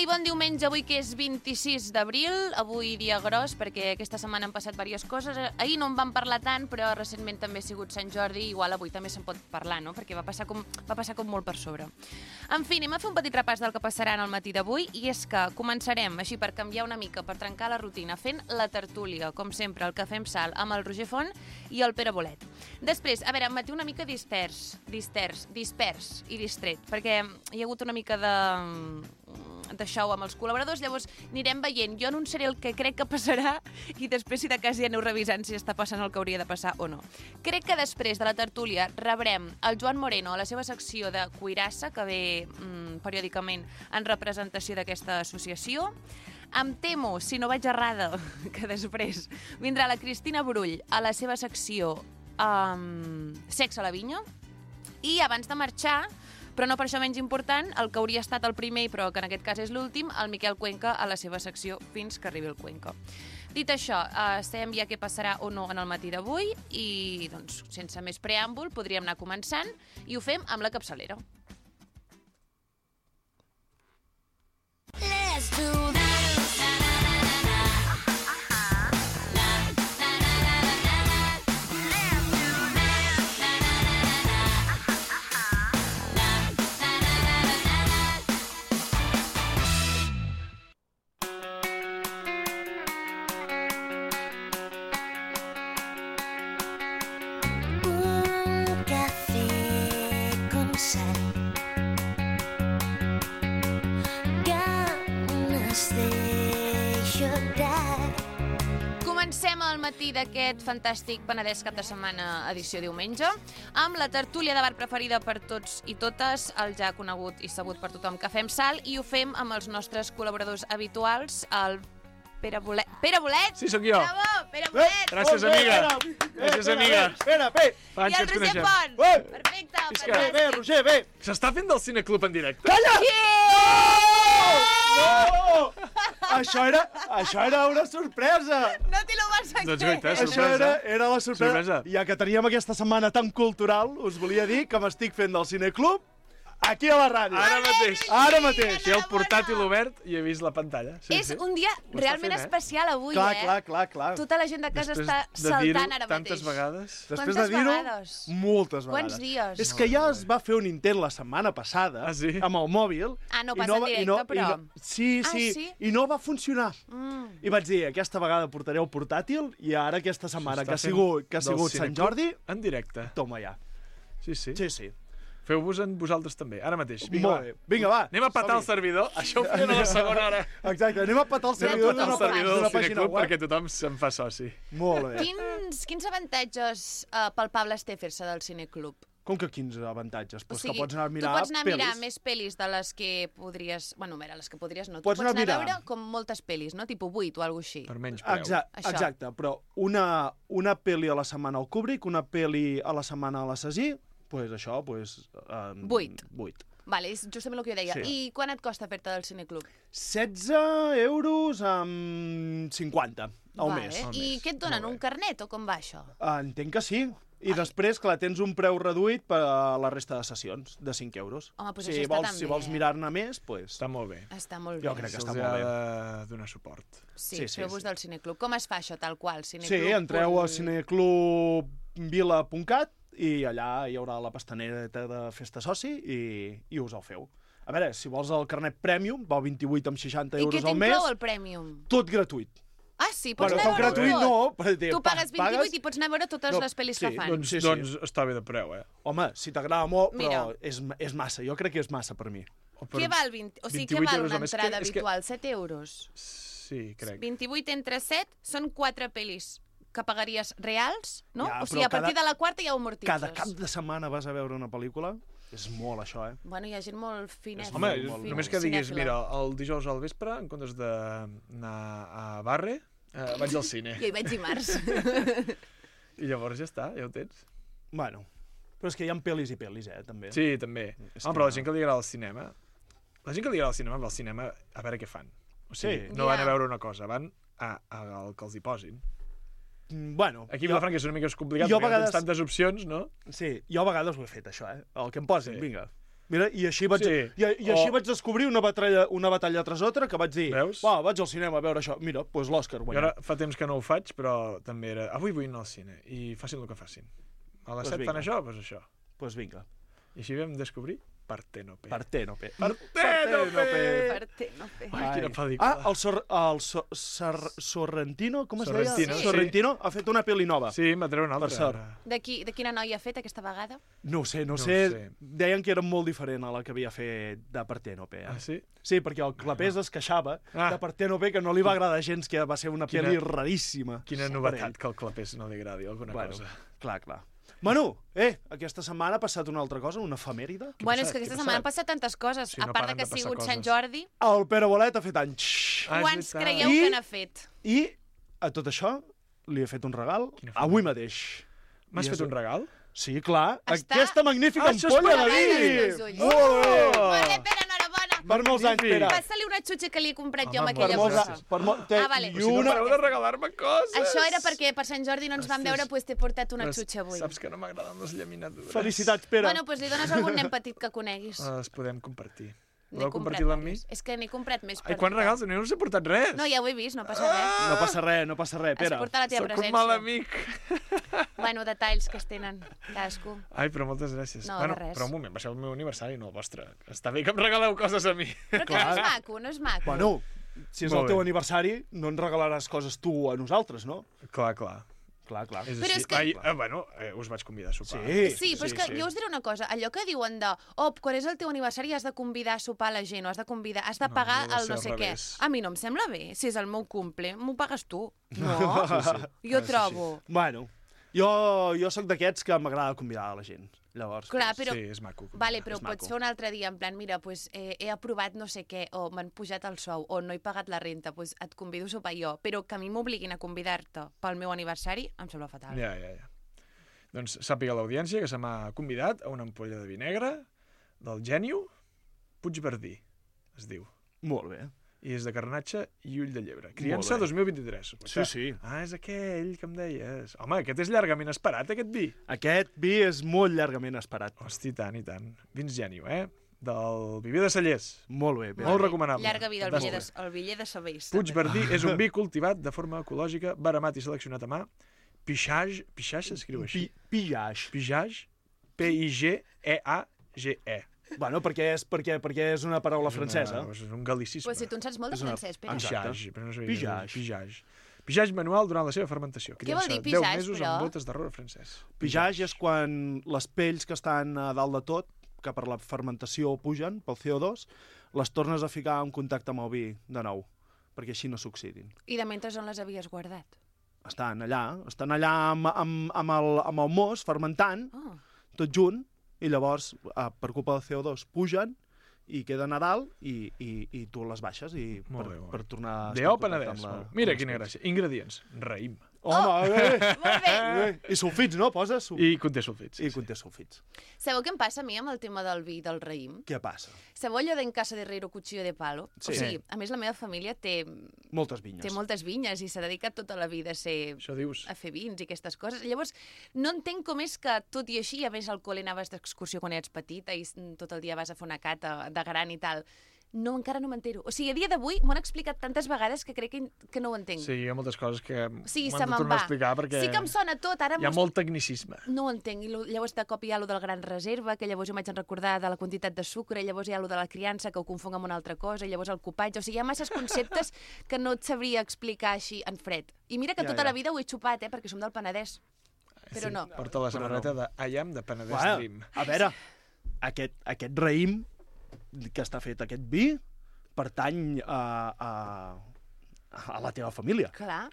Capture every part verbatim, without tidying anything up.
i bon diumenge, avui que és vint-i-sis d'abril, avui dia gros, perquè aquesta setmana han passat diverses coses. Ahir no en vam parlar tant, però recentment també ha sigut Sant Jordi, igual avui també se'n pot parlar, no? Perquè va passar com, va passar com molt per sobre. En fi, anem a fer un petit repàs del que passarà en el matí d'avui, i és que començarem, així per canviar una mica, per trencar la rutina, fent la tertúlia, com sempre, el Cafè amb Sal, amb el Roger Font i el Pere Bolet. Després, a veure, matí una mica dispers, dispers, dispers i distret, perquè hi ha hagut una mica de... de show amb els col·laboradors, llavors anirem veient. Jo anunciaré el que crec que passarà i després, si de cas, ja aneu revisant si està passant el que hauria de passar o no. Crec que després de la tertúlia rebrem el Joan Moreno a la seva secció de Cuirassa, que ve mm, periòdicament en representació d'aquesta associació. Em temo, si no vaig errada, que després vindrà la Cristina Brull a la seva secció um, Sexe a la Vinya. I abans de marxar, però no per això menys important, el que hauria estat el primer, però que en aquest cas és l'últim, el Miquel Cuenca a la seva secció Fins que arribi el Cuenca. Dit això, eh, sabem ja què passarà o no en el matí d'avui i, doncs, sense més preàmbul, podríem anar començant i ho fem amb la capçalera. Let's do that. Comencem el matí d'aquest fantàstic Penedès cap de setmana, edició diumenge, amb la tertúlia de bar preferida per tots i totes, el ja conegut i sabut per tothom Cafè amb Sal, i ho fem amb els nostres col·laboradors habituals, el Pere Bolet. Pere Bolet! Sí, sóc jo. Bravo, Pere Bolet! Gràcies, amiga. Gràcies, amiga. Espera, bé. I el Roger Font. Perfecte. Bé, bé, Roger, bé. S'està fent del Cineclub en directe? Calla! No! Això era, això era una sorpresa. No te lo vas a Doncs creer. guaita, Això sorpresa. era, era la sorpresa. Sorpresa. Ja que teníem aquesta setmana tan cultural, us volia dir que m'estic fent del Cineclub aquí a la ràdio. Ara mateix. Ara mateix. Té el portàtil obert i he vist la pantalla. Sí, És sí. un dia Ho està realment fent, eh? especial avui, Clar, eh? clar, clar, clar. Tota la gent de casa Després està de dir-ho saltant ara mateix. tantes vegades. Després Quantes de dir-ho, vegades? moltes vegades. Quants dies? És que ja es va fer un intent la setmana passada Ah, sí? amb el mòbil. Ah, no i passa en va- i directe, però. i no, sí, Ah, sí, sí? i no va funcionar. Mm. I vaig dir, aquesta vegada portaré el portàtil i ara aquesta setmana que ha S'està sigut, que ha fent sigut del Sant Cineclub Jordi, en directe. toma ja. Sí, sí. Sí, sí. Feu-vos en vosaltres també, ara mateix. Vinga, Molt va. bé. Vinga, va. Anem a patar el Som-hi. servidor. Això ho farem a la segona hora. Exacte, anem a patar el Anem a servidor patar el d'una servidor d'una del pàgina Cineclub web. perquè tothom se'n fa soci. Molt bé. Quins, quins avantatges uh, palpables té fer-se del Cineclub? Com que quins avantatges? Pues o sigui, que pots anar a mirar tu pots anar a mirar pel·lis. més pel·lis de les que podries... Bueno, a veure, les que podries no. Pots tu anar pots anar a a mirar. veure com moltes pel·lis, no? Tipo vuit o alguna així. Per menys preu. Exacte, Això. exacte, però una, una pel·li a la setmana al Kubrick, una pel·li a la setmana a l'Assassí, pues això, pues... Um, Vuit. Vuit. Vale, és justament el que jo deia. Sí. I quan et costa fer-te del Cineclub? setze euros amb cinquanta al vale. mes. Al I mes. què et donen, Molt bé. un carnet o com va això? Entenc que sí. I Ai. després, clar, tens un preu reduït per a la resta de sessions, de cinc euros. Home, doncs si això està vols, tan si bé, vols eh? mirar-ne més, pues... Està molt bé. Està molt bé. Jo crec que Se'ls està ha molt bé. de donar suport. Sí, Sí, sí, feu-vos sí. del Cineclub. Com es fa això, tal qual? Sí, Cineclub. entreu punt- a cineclubvila punt cat i allà hi haurà la pestanereta de festa soci i, i us el feu. A veure, si vols el carnet Premium, val vint-i-vuit amb seixanta I què euros al mes, t'inclou el Premium? tot gratuït. Ah, sí, pots Bueno, anar a tot veure gratuït tot. no, perquè Tu pa- pagues vint-i-vuit i pots anar a veure totes No, les pel·lis sí, que fan. Doncs, Sí, sí. doncs està bé de preu, eh? Home, si t'agrada molt, Mira. però és, és massa. Jo crec que és massa per mi. O per Què val, vint... o sigui, què vint-i-vuit val euros una al mes? entrada Que- és que- habitual? set euros? Sí, crec. vint-i-vuit entre set són quatre pel·lis que pagaries reals, no? Ja, o sigui, però a partir cada- de la quarta ja ho amortitzes. Cada cap de setmana vas a veure una pel·lícula? És molt, això, eh? Bueno, hi ha gent molt fineta. Home, molt, molt, només molt. que diguis, cinèfila. mira, el dijous al vespre, en comptes d'anar a Barre, eh, vaig al cine. Jo hi vaig dimarts. I llavors ja està, ja ho tens. Bueno, però és que hi ha pel·lis i pel·lis, eh, també. Sí, també. És Home, que- però la gent que li agrada el cinema... La gent que li agrada el cinema va al cinema a veure què fan. O sigui, Sí. no van Ja. a veure una cosa, van a, a, al que els hi posin. Mm, Bueno, Aquí a jo, Vilafranca és una mica més complicat, jo a perquè no vegades- tens tantes opcions, no? sí, jo a vegades ho he fet, això, eh? El que em posin, Sí. vinga. Mira, i així vaig, Sí. i, i així O- vaig descobrir una batalla, una batalla tras altra que vaig dir, Veus? va, vaig al cinema a veure això. Mira, doncs pues l'Òscar Jo guanyat. ara fa temps que no ho faig, però també era... Avui vull anar al cine, i facin el que facin. A les Pues set vinga. fan això, doncs això. Doncs pues vinga, I així vam descobrir Partènope. Partènope. Partènope! Partènope. Ai, quina Ai. pel·lícula. Ah, el, Sor, el so, Sor, Sorrentino, com es Sorrentino, deia? sí. Sorrentino ha fet una pel·li nova. Sí, m'ha tret una altra. Per sort. ara. De, qui, de quina noia ha fet aquesta vegada? No ho sé, no, No ho sé. sé. Deien que era molt diferent a la que havia fet de Partènope. Eh? Ah, sí? Sí, perquè el Clapés es queixava Ah. de Partènope, que no li va agradar gens, que va ser una Quina- pel·li raríssima. Quina per novetat ell. que el clapés no li agradi alguna Bueno, cosa. clar, clar. Manu, eh, aquesta setmana ha passat una altra cosa, una efemèride. Què ha Bueno, passat? és que Què aquesta ha setmana han passat? passat tantes coses. Sí, a no part paren de que de ha passar sigut Sant coses. Jordi, El Pere Bolet ha fet anys. Ah, és quants veritat. creieu I- que n'ha fet? I a tot això li he fet un regal Quina avui efemèride. mateix. M'has I fet és- un regal? Sí, clar. Està- Aquesta magnífica Ah, això és ampolla per de veure vi. els ulls. Molt bé. Molt bé, Pere, enhorabona. Per molts anys, Magnífic. Pere. Passa-li una xutxa que li he comprat jo amb Home, Per aquella molts bossa. anys. Per mo... Té... Ah, vale. I Si no una... pareu de regalar-me coses! Això era perquè per Sant Jordi no ens vam Ostres. veure, doncs t'he portat una Però xutxa avui. Saps que no m'agraden les llaminadures. Felicitats, Pere. Bueno, doncs li dones a algun nen petit que coneguis. Les podem compartir. N'he Voleu comprat compartir-la amb mi? diversos. És que n'he comprat més per Ai, quants tothom. regals? No us he portat res. No, ja ho he vist, no passa res. No passa res, no passa res, Has Pere. portat la teva Sóc un presència. mal amic. Bueno, detalls que es tenen cadascú. Ai, però moltes gràcies. No, de bueno, res. però un moment, va ser el meu aniversari, no el vostre. Està bé que em regaleu coses a mi. Però que no és maco, no és maco. Bueno, si és Molt el teu bé. aniversari, no ens regalaràs coses tu a nosaltres, no? Clar, clar. Clar, clar. És Però així. és que- Ai, eh, bueno, eh, us vaig convidar a sopar. Sí. Sí, però és que jo us diré una cosa, allò que diuen de oh, quan és el teu aniversari has de convidar a sopar la gent, o has de convidar, has de No, pagar hauria de el ser no al sé què. revés. A mi no em sembla bé, si és el meu cumple, m'ho pagues tu. No? Sí, sí. Jo Ha de ser trobo. Bueno, jo, jo sóc d'aquests que m'agrada convidar a la gent. Llavors, Clar, doncs, però... Sí, és maco. Vale, però és pots maco. fer un altre dia, en plan, mira, pues, eh, he aprovat no sé què, o m'han pujat el sou, o no he pagat la renta, pues et convido a sopar jo, però que a mi m'obliguin a convidar-te pel meu aniversari, em sembla fatal. Ja, ja, ja. Doncs sàpiga l'audiència que se m'ha convidat a una ampolla de vi negre del Gènio Puigverdí, es diu. Molt bé. I és de carnatge i ull de llebre. Criança bé. dos mil vint-i-tres. Sí, sí. Ah, és aquell que em deies. Home, aquest és llargament esperat, aquest vi. Aquest vi és molt llargament esperat. Hosti, i tant, i tant. Vins Gènio, eh? Del Viver de Cellers. Molt bé, bé. Molt recomanable. Llarga vida al Fantàstic. Viller de, el Viller de Sabells. Puigverdí és un vi cultivat de forma ecològica, baramat i seleccionat a mà. Pixage, Pixage s'escriu així. Pi Pillage. Pixage, P I G E A G E. Bueno, perquè és, perquè, perquè és una paraula francesa. És un galicisme. Pues si tu en saps molt de És una- francès, Pere. Exacte. Pixage, però no sabia. Pixage. Pixage. Pixage manual durant la seva fermentació. Què vol dir Criança pixage, deu mesos però? amb botes d'arrora francès. Pillage és quan les pells que estan a dalt de tot, que per la fermentació pugen, pel C O dos, les tornes a ficar en contacte amb el vi de nou, perquè així no s'oxidin. I de mentre on les havies guardat? Estan allà, estan allà amb, amb, amb, el, amb el mos fermentant, Oh. tot junt, i llavors, eh, per culpa del C O dos, pugen i queden a dalt i, i, i tu les baixes i Molt per, bé, molt per bé. tornar a De estar en O contacte Penedès. amb la- molt. Mira amb les quina pells. gràcia. Ingredients. Raïm. Home, bé! Molt bé. bé. I sulfits, no? Poses sul... I conté sulfits. Sí, I sí. conté sulfits. Sabeu què em passa a mi amb el tema del vi del raïm? Què passa? Sabeu allò d'en casa de Herrero cuchillo de palo? Sí. O sigui, a més la meva família té, Moltes vinyes. té moltes vinyes i s'ha dedicat tota la vida a ser Això dius. a fer vins i aquestes coses. Llavors, no entenc com és que, tot i així, a més al col·le anaves d'excursió quan eres petita i tot el dia vas a fer una cata de gran i tal. No, encara no m'entero. O sigui, a dia d'avui m'ho han explicat tantes vegades que crec que, que no ho entenc. Sí, hi ha moltes coses que O sigui, m'han se de me'n tornar a va. explicar perquè Sí que em sona tot, ara hi ha m'ho- molt tecnicisme. no ho entenc. I lo- llavors de cop hi ha lo del gran reserva, que llavors jo m'haig de recordar de la quantitat de sucre, i llavors hi ha lo de la criança, que ho confonc amb una altra cosa, i llavors el copatge. O sigui, hi ha masses conceptes que no et sabria explicar així en fred. I mira que Ja, tota ja. la vida ho he xupat, eh, perquè som del Penedès. Però no. Porta la samarreta de I am de Penedès Bueno, Dream. a veure, aquest, aquest raïm que està fet aquest vi pertany a, a, a la teva família. Clar,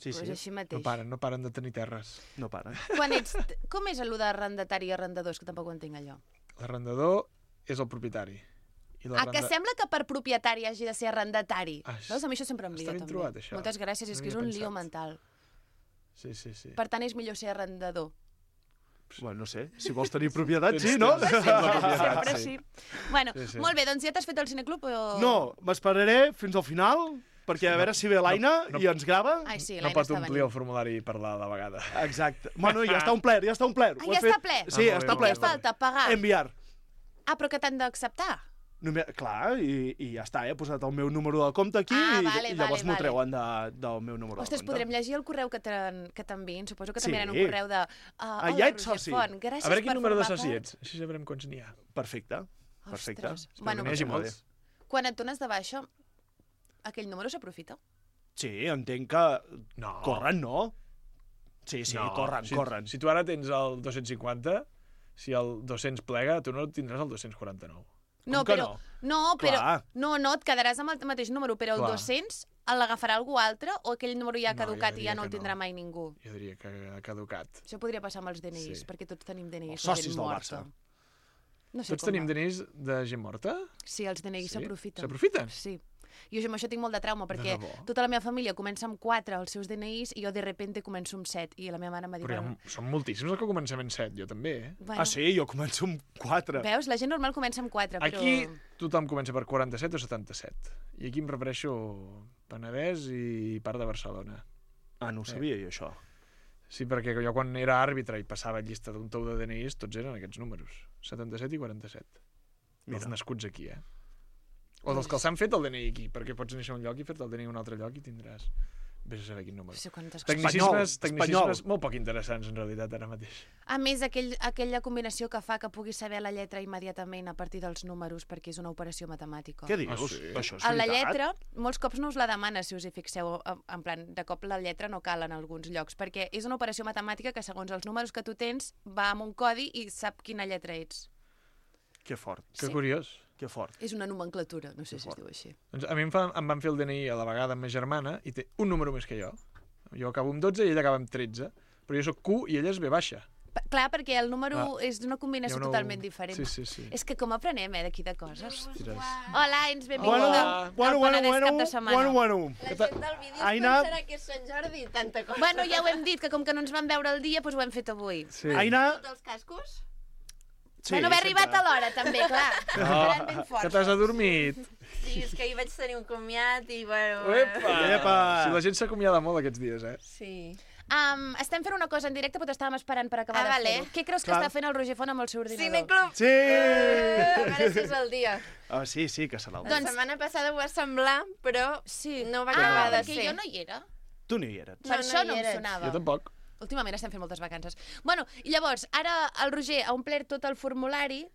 Sí, doncs sí, així No mateix. paren, no paren de tenir terres. no para. Quan ets... Com és el de arrendatari i arrendadors, que tampoc ho entenc allò? L'arrendador és el propietari. I Ah, que sembla que per propietari hagi de ser arrendatari. Ah, Veus? A mi això sempre em està lio, ben també. trobat, això. Moltes gràcies, és No que és havia un lío pensat. mental. Sí, sí, sí. Per tant, és millor ser arrendador. Bueno, no sé, si vols tenir propietat, Tens- sí, no? tens- tens la propietat, Sempre sí. sí. Bueno, Sí, sí. molt bé, doncs ja t'has fet el cineclub o... No, m'esperaré fins al final, perquè a veure si ve l'Aina no- i ens grava. Ai, sí, no l'Aina pot està omplir venint. el formulari i parlar de vegada. Exacte. Bueno, ja està omplert, ja està omplert. Ah, Ho he ja fet- està ple? Sí, Ah, molt està bé, ple. Què falta? Pagar? Enviar. Ah, però que t'han d'acceptar? Només, clar, i, i ja està, he posat el meu número de compte aquí Ah, i, vale, i llavors vale, m'ho vale. treuen de, del meu número Ostres, de compte. podrem llegir el correu que t'en- que t'enviïn? Suposo que Sí. t'enviaran un correu de... Uh, Ah, hola, ja ets Roger soci. Font, gràcies A veure quin per número de formar soci part. ets, així sabrem quants n'hi ha. Perfecte, perfecte. Ostres. Espero Bueno, que n'hi hagi molt molts. quan et dones de baixa, aquell número s'aprofita? Sí, entenc que No. corren, no? Sí, sí, No. corren, si, corren. Si tu ara tens el dos-cents cinquanta, si el dos-cents plega, tu no tindràs el dos-cents quaranta-nou. No, que però, no? però Clar. no, no, et quedaràs amb el mateix número, però el Clar. dos-cents l'agafarà algú altre o aquell número ja ha No, jo caducat i diria ja no el que tindrà no. mai ningú? Jo diria que ha caducat. Això podria passar amb els D N Is, Sí. perquè tots tenim D N Is. Els de socis gent del morta. Barça. No sé Tots com tenim va. D N Is de gent morta? Sí, els D N Is Sí? s'aprofiten. S'aprofiten? Sí. Jo amb això tinc molt de trauma, perquè debò? tota la meva família comença amb quatre els seus D N Is i jo de repente començo amb set. I la meva mare m'ha dit... Però hi ha, bueno, són moltíssims els que comencem en set, jo també, eh? bueno, Ah, sí? Jo començo amb quatre. Veus? La gent normal comença amb quatre, però... Aquí tothom comença per quaranta-set o setanta-set. I aquí em refereixo Penedès i part de Barcelona. Ah, no ho sabia, jo, això. Sí, perquè jo quan era àrbitre i passava llista d'un tou de D N Is, tots eren aquests números. setanta-set i quaranta-set. Dels Mira. nascuts aquí, eh? O dels que els han fet el D N I aquí, perquè pots néixer a un lloc i fer-te el D N I a un altre lloc i tindràs... Vés a saber quin número. No sé quantes coses. Tecnicismes, Espanyol, tecnicismes espanyol. molt poc interessants, en realitat, ara mateix. A més, aquell, aquella combinació que fa que puguis saber la lletra immediatament a partir dels números perquè és una operació matemàtica. Què dius? Ah, sí? Això és A la veritat? lletra, molts cops no us la demana, si us hi fixeu, en- en plan, de cop la lletra no cal en alguns llocs, perquè és una operació matemàtica que segons els números que tu tens va amb un codi i sap quina lletra ets. Que fort, Que Sí. curiós. que fort. És una nomenclatura, no sé Que si es fort. diu així. Doncs a mi em, fa, em van fer el D N I a la vegada amb ma germana i té un número més que jo. Jo acabo amb dotze i ella acaba amb tretze, però jo sóc Q i ella és V baixa. Pa- Clar, perquè el número Ah. és d'una combinació Hi ha una- totalment diferent. Sí, sí, sí. És que com aprenem, eh, d'aquí de coses. Ostres. Hola, ens benvinguda Bueno, al bueno, bueno, Penedès bueno, cap de setmana. bueno, bueno. La gent del vídeo es Aina- pensarà que és Sant Jordi i tanta cosa. Bueno, ja ho hem dit, que com que no ens vam veure el dia, doncs ho hem fet avui. Sí. Aina... Tots els cascos? Sí, bueno, haver sempre. arribat a l'hora, també, clar. Esperant ben forts. Que t'has adormit. Sí, és que ahir vaig tenir un comiat i, bueno... Uepa! Epa! Si la gent s'acomiada molt aquests dies, eh? Sí. Um, estem fent una cosa en directe, però t'estàvem esperant per acabar Ah, de vale. fer-ho. Què creus que Clar. està fent el Roger Font amb el seu ordinador? Cineclub! Sí! A veure si és el dia. Ah, sí, sí, que serà el La dia. Doncs- setmana passada ho va semblar, però Sí. no va ah, acabar de perquè ser. jo no hi era. Tu no hi eres. Per No, això no no hi em eres. sonava. Jo tampoc. Últimament estem fent moltes vacances. Bueno, i llavors, ara el Roger ha omplert tot el formulari.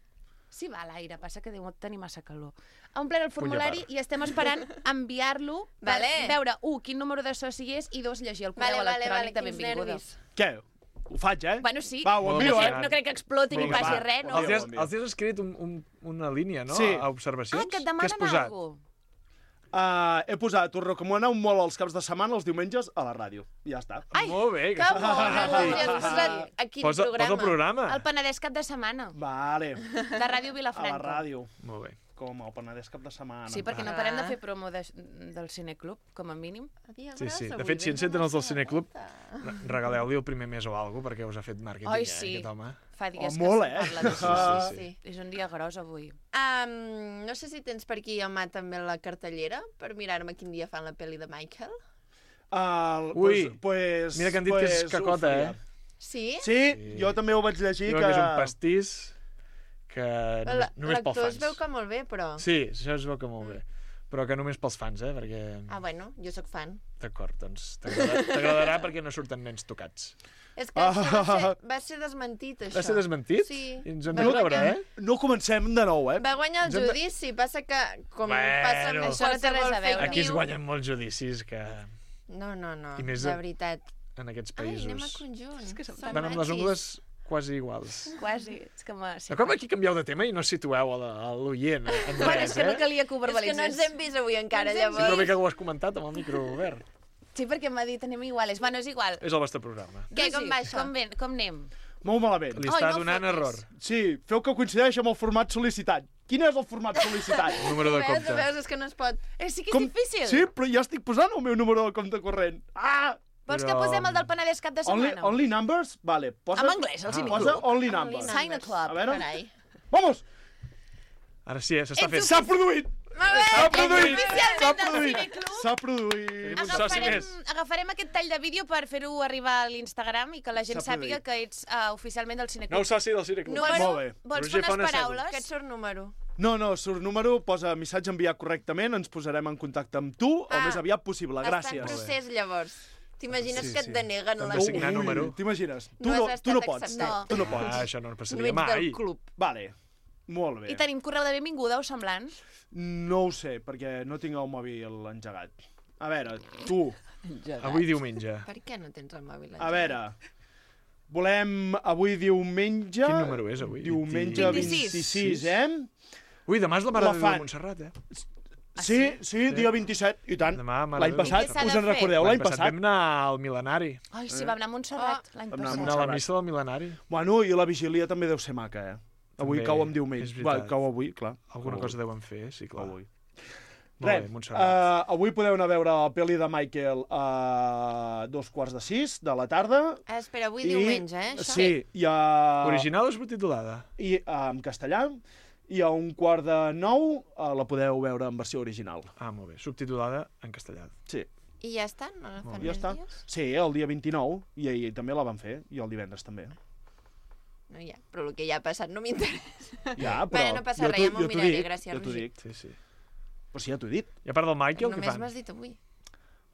Sí, va a l'aire, passa que deu tenir massa calor. Ha omplert el formulari part. i estem esperant enviar-lo per Vale. veure, un, quin número de soci és i dos, llegir el correu Vale, vale, electrònic vale, de quins benvinguda. nervis. Què? Ho faig, eh? Bueno, sí. Va, ho Molt envio, no, eh? crec, no crec que exploti ni Vinga, passi va. res, no? Els dies, envio. els dies has escrit un, un, una línia, no? Sí. A observacions. Ah, que et Què has demanen posat? alguna cosa. Uh, he posat, us recomaneu molt els caps de setmana, els diumenges, a la ràdio. I ja està. Ai, Molt bé. que bona, I Roger. has posat a quin Posa, programa? posa el programa. El Penedès cap de setmana, Vale. de Ràdio A la Vilafranca. ràdio. Molt bé. Com el Penedès cap de setmana. Sí, perquè no Ah. parem de fer promo de, del Cineclub, com a mínim. Sí, sí. De fet, si enceten els del Cineclub, regaleu-li el primer mes o alguna cosa, perquè us ha fet màrqueting, Ai, eh, sí. aquest home. Fa dies Oh, que molt, se'n eh? parla d'això. Ah. Sí, sí. És un dia gros avui. Um, no sé si tens per aquí a mà també la cartellera per mirar-me quin dia fan la pel·li de Michael. Uh, Ui, pues, pues, Mira que han dit que és pues, cacota, ho faria. eh? Sí? Sí, Sí. jo també ho vaig llegir. Diuen que... que és un pastís que només, La- només pels L'actor es fans. veu que molt bé, però... Sí, això es veu que molt bé. Però que només pels fans, eh? Perquè... Ah, bueno, jo sóc fan. D'acord, doncs t'agrada- t'agradarà perquè no surten nens tocats. És que això va ser, va ser desmentit, això. Va ser desmentit? Sí. I ens hem Va de guanyar- creure, eh? No comencem de nou, eh? Va guanyar el Ens hem de- judici, passa que, com Bueno. passa amb Això no té res a qualsevol veure. fake Aquí es news- guanyen molts judicis que No, no, no, I més de de- veritat. en aquests Ai, països anem a conjunt. És que som van amb les ungles quasi iguals. Quasi. És que m'ha... Sí, De com aquí canvieu de tema i no situeu a la- a l'oient, eh? en bueno, res, és que no eh? calia que ho És que verbalitzés. no ens hem vist avui encara, No ens hem Sí, però llavors. bé que ho has comentat amb el micro obert. Sí, perquè m'ha dit anem iguales. Bueno, és igual. És el vostre programa. Què, com Rosi, va això? Com, ben, com anem? Molt malament. Li Ai, està no donant fotis. error. Sí, feu que coincideix amb el format sol·licitat. Quin és el format sol·licitat? El número de Veus, compte. veus, és que no es pot. Eh, sí que és Com- difícil. Sí, però ja estic posant el meu número de compte corrent. Ah! Vols Però- que posem el del Penedès cap de Only, setmana? only numbers? Vale. Posa, En anglès, el Ah. Cineclub. Posa only Only numbers. numbers. Sign a club. A veure. Carai. Vamos! Ara sí, eh? s'està Ets fent. S'ha produït! Molt bé! S'ha produït! Oficialment S'ha del produït! Cineclub. S'ha produït! Tenim un soci Agafarem, més. agafarem aquest tall de vídeo per fer-ho arribar a l'Instagram i que la gent S'ha sàpiga produït. que ets uh, oficialment del Cineclub. Nou soci del Cineclub. Número- Molt bé. Vols Roger fer unes fa una paraules? Que et surt número. No, no, surt número, posa missatge enviat correctament, ens posarem en contacte amb tu Ah, el més aviat possible. Està en Gràcies. procés, llavors. T'imagines Sí, que sí. et deneguen Hem la de signar Ui, número. T'imagines? Tu No no, has tu no estat pots. acceptat. No. Tu no Ah, pots. això no No passaria ets mai. del club. Vale, molt bé. I tenim correu de benvinguda o semblant? No ho sé, perquè no tinc el mòbil engegat. A veure, tu, Avui diumenge. Per què no tens el mòbil? a veure, volem avui diumenge... Quin número és avui? Diumenge vint-i-sis. vint-i-sis, eh? Ui, demà és la Mare La de Déu de fan. Montserrat, eh? Ah, Sí, sí, dia vint-i-set, i tant. Demà, Mare L'any de Déu de passat, Què s'ha de us en fer? recordeu? L'any passat. vam anar al mil·lenari. Ai, sí, vam anar a Montserrat l'any Vam anar a passat. Vam anar a la Montserrat. missa del mil·lenari. Bueno, i la vigília també deu ser maca, eh? Avui També, cau en és diumenge. veritat. Va, cau avui, clar. Alguna Cau cosa avui. deuen fer, sí, clar. Cau avui. Molt Res, bé, Montserrat. uh, avui podeu anar a veure la pel·li de Michael a dos quarts de sis de la tarda. Ah, espera, avui diumenge, eh? Això? Sí, i, a... Original o subtitulada? i uh, en castellà. I a un quart de nou uh, la podeu veure en versió original. Ah, molt bé. Subtitulada en castellà. Sí, I ja està? No la fan ja més està. dies? Sí, el dia vint-i-nou, i ahir també la van fer, i el divendres també. No, ja. Però el que ja ha passat no m'interessa. Ja, però... Bueno, no passa jo res, t'ho- ja m'ho jo t'ho miraré, dic, gràcies, jo t'ho Roger. dic. Sí, sí. Però sí, ja t'ho he dit. I a part del Michael, què Només fan? m'has dit avui.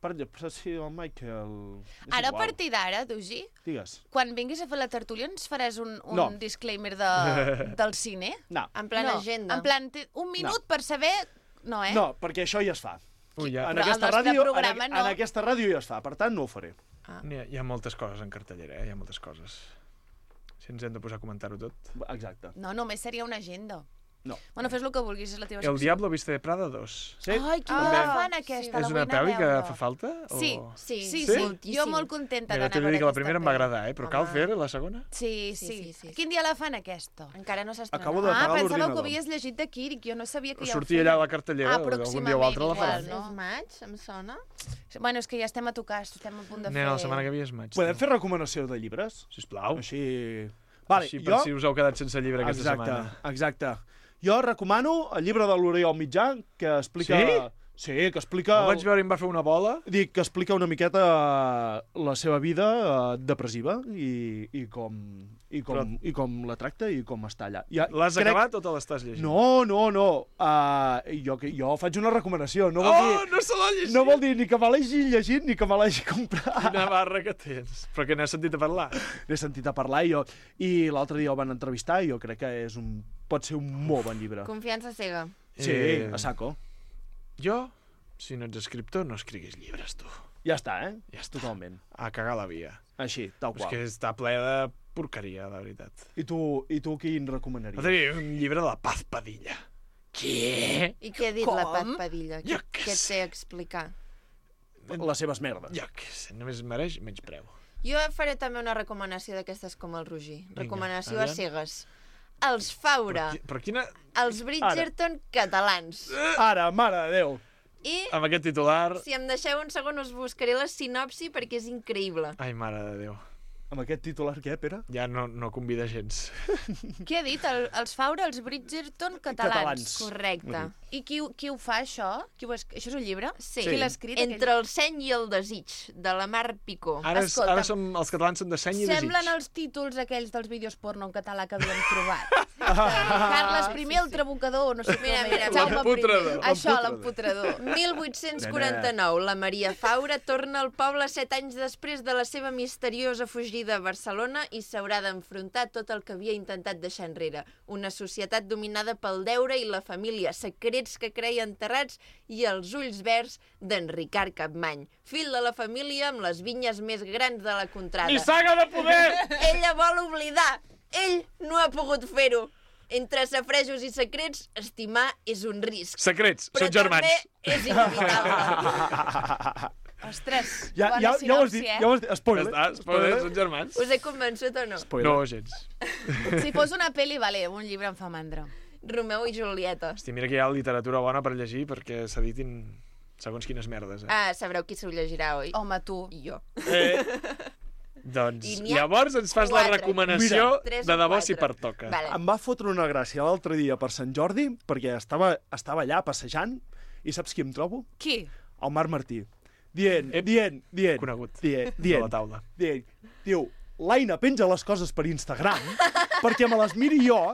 Per, però sí, el Michael... És Ara, a igual. partir d'ara, Dugi, Digues. quan vinguis a fer la tertúlia ens faràs un, un No. disclaimer de, del cine? No, En plan no. agenda. En plan, té un minut per saber... No, eh? no, perquè això ja es fa. Ui, ja. En Però aquesta, el nostre ràdio, programa en, no. en aquesta ràdio ja es fa, per tant no ho faré. Ah. Hi ha, hi ha moltes coses en cartellera, eh? Hi ha moltes coses. Si ens hem de posar a comentar-ho tot. Exacte. No, només seria una agenda. No. Bueno, fes el que vulguis, és la teva El Diablo Viste de Prada dos. Sí? Ai, quina Ah, ah, fan aquesta, sí. la És vull una anar a pel·li que veure. fa falta? Sí, O... Sí, sí, Sí? sí. moltíssim. Jo molt contenta Mira, d'anar t'he a de veure dir que la aquesta primera em va pel·li. agradar, eh? Però cal Home. fer la segona? Sí, Sí, sí. sí, sí. Quin dia la fan, aquesta? Encara no s'ha estrenat. Acabo de- Ah, apagar pensava que l'ordinador. ho havies llegit de Kirik, jo no sabia que ja ho Sortia feien. allà a la cartellera, Ah, algun dia o altre la igual, faran. no? És maig, em sona. Bueno, és que ja estem a tocar, estem a punt de fer... Nena, la setmana que ve és maig. Podem tu. fer recomanació de llibres? Sisplau. Així... Vale, Així per jo... si us heu quedat sense llibre aquesta exacte, setmana. exacte. Jo recomano el llibre de l'Oriol Mitjà, que explica... Sí? Sí, que explica... El vaig veure i em va fer una bola. Dic que explica una miqueta la seva vida eh, depressiva i, i, com, i, com, Però- i com la tracta i com està allà. Ja, L'has acabat o te l'estàs llegint? No, no, no. Uh, jo, que- jo faig una recomanació. No vol, Oh, dir, no se l'ha llegit! no vol dir ni que me l'hagi llegit ni que me l'hagi comprat. Quina barra que tens. Però que n'has sentit a parlar. N'he sentit a parlar i, jo, i l'altre dia el van entrevistar i jo crec que és un, pot ser un molt bon llibre. Confiança cega. Sí, Eh, a saco. Jo, si no ets escriptor, no escriguis llibres, tu. Ja està, eh? Ja està. Totalment. A cagar la via. Així, tal És qual. que està ple de porqueria, la veritat. I tu, i tu quin recomanaries? L'altre dia un llibre de la Paz Padilla. Què? I què ha dit Com? la Paz Padilla? Jo Què, què què et sé. té a explicar? Les seves merdes. Jo què sé, només mereix menys preu. Jo faré també una recomanació d'aquestes com el Roger. Vinga, Recomanació a aviam. cegues. Els Faura, Però, qui- però quina... els Bridgerton catalans. Ara, mare de Déu. I, Amb aquest titular... si em deixeu un segon, us buscaré la sinopsi perquè és increïble. Ai, mare de Déu. Amb aquest titular què, Pere? Ja no, no convida gens. Què ha dit? El, els Faura, els Bridgerton catalans. Catalans. Correcte. I qui, ho- qui ho fa, això? Qui ho es... Això és un llibre? Sí. Qui l'ha escrit? Entre el seny i el desig, de la Mar Picó. Ara, és, Escolta'm. ara som, els catalans són de seny i desig. Semblen els títols aquells dels vídeos porno en català que havíem trobat. Carles primer, el trabucador, no sé com Mira, mira, era. Jaume l'emputrador. primer. Això, l'emputrador. mil vuit-cents quaranta-nou, la Maria Faura torna al poble set anys després de la seva misteriosa fugida a Barcelona i s'haurà d'enfrontar tot el que havia intentat deixar enrere. Una societat dominada pel deure i la família, secrets que creia enterrats i els ulls verds d'en Ricard Capmany, fill de la família amb les vinyes més grans de la contrada. Nissaga de poder! Ella vol oblidar. Ell no ha pogut fer-ho. Entre safrejos i secrets, estimar és un risc. Secrets, Però són germans. també és inevitable. Ostres, Ja, bona ja, ja ho has sinopsi, dit, eh? ja ho has dit. Ja Spoiler. està, spoiler, són germans. Us he convençut o no? Spoiler. No, gens. Si fos una pel·li, vale, un llibre em fa mandra. Romeu i Julieta. Hosti, mira que hi ha literatura bona per llegir perquè s'editin segons quines merdes, eh? Ah, sabreu qui s'ho llegirà, oi? Home, tu. I jo. Eh, Doncs I n'hi ha llavors ens fas la quatre. recomanació Mira, tres de o debò quatre. si pertoca. Vale. Em va fotre una gràcia l'altre dia per Sant Jordi, perquè estava, estava allà passejant, i saps qui em trobo? Qui? El Marc Martí. Dient, Ep. dient, dient. Conegut. Dient, De dient. la taula. Dient. Diu, l'Aina penja les coses per Instagram perquè me les miri jo,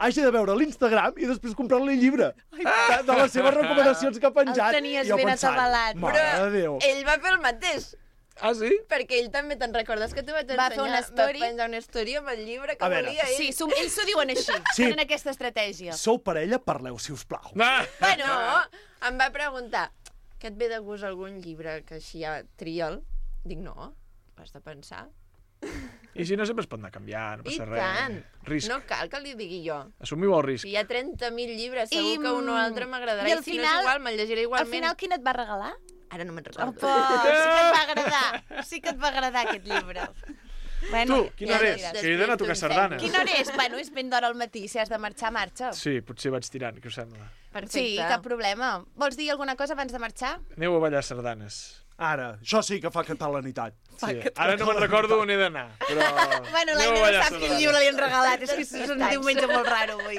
hagi de veure l'Instagram i després comprar-li el llibre de, de les seves recomanacions que ha penjat. El tenies I jo ben pensant, atabalat. Mare Però de Déu. ell va fer el mateix. Ah, sí? Perquè ell també, te'n recordes que tu vaig Va ensenyar? fer una story. Va penjar una story amb el llibre que A veure. volia ell. Sí, som, ells s'ho diuen així. Sí. Tenen aquesta estratègia. Sou parella, parleu, si us plau. Ah! Bueno, em va preguntar, que et ve de gust algun llibre que així ja tria'l? Dic, no, has de pensar. I si no, sempre es pot anar canviant, no I passa res. tant. Risc. No cal que li digui jo. Assumiu el risc. Si hi ha trenta mil llibres, segur I, que un o altre m'agradarà. i I, al si no final- és igual, me'l llegiré Al igualment. final, quin et va regalar? Ara no me'n recordo. Opa, sí que et va agradar. Sí que et va agradar aquest llibre. Bueno, Tu, quina hora ja és? diràs. Que he d'anar a tocar Després sardanes. quina hora és? Bueno, és ben d'hora al matí. Si has de marxar, marxa. Sí, potser vaig tirant, què us sembla? Perfecte. Sí, cap problema. Vols dir alguna cosa abans de marxar? Aneu a ballar sardanes. Ara, això sí que fa catalanitat. Sí. Ara no me'n recordo on he d'anar, però... Bueno, aneu a l'Aina no ballar sap quin sardanes. llibre li han regalat. És que és un Està diumenge molt raro avui.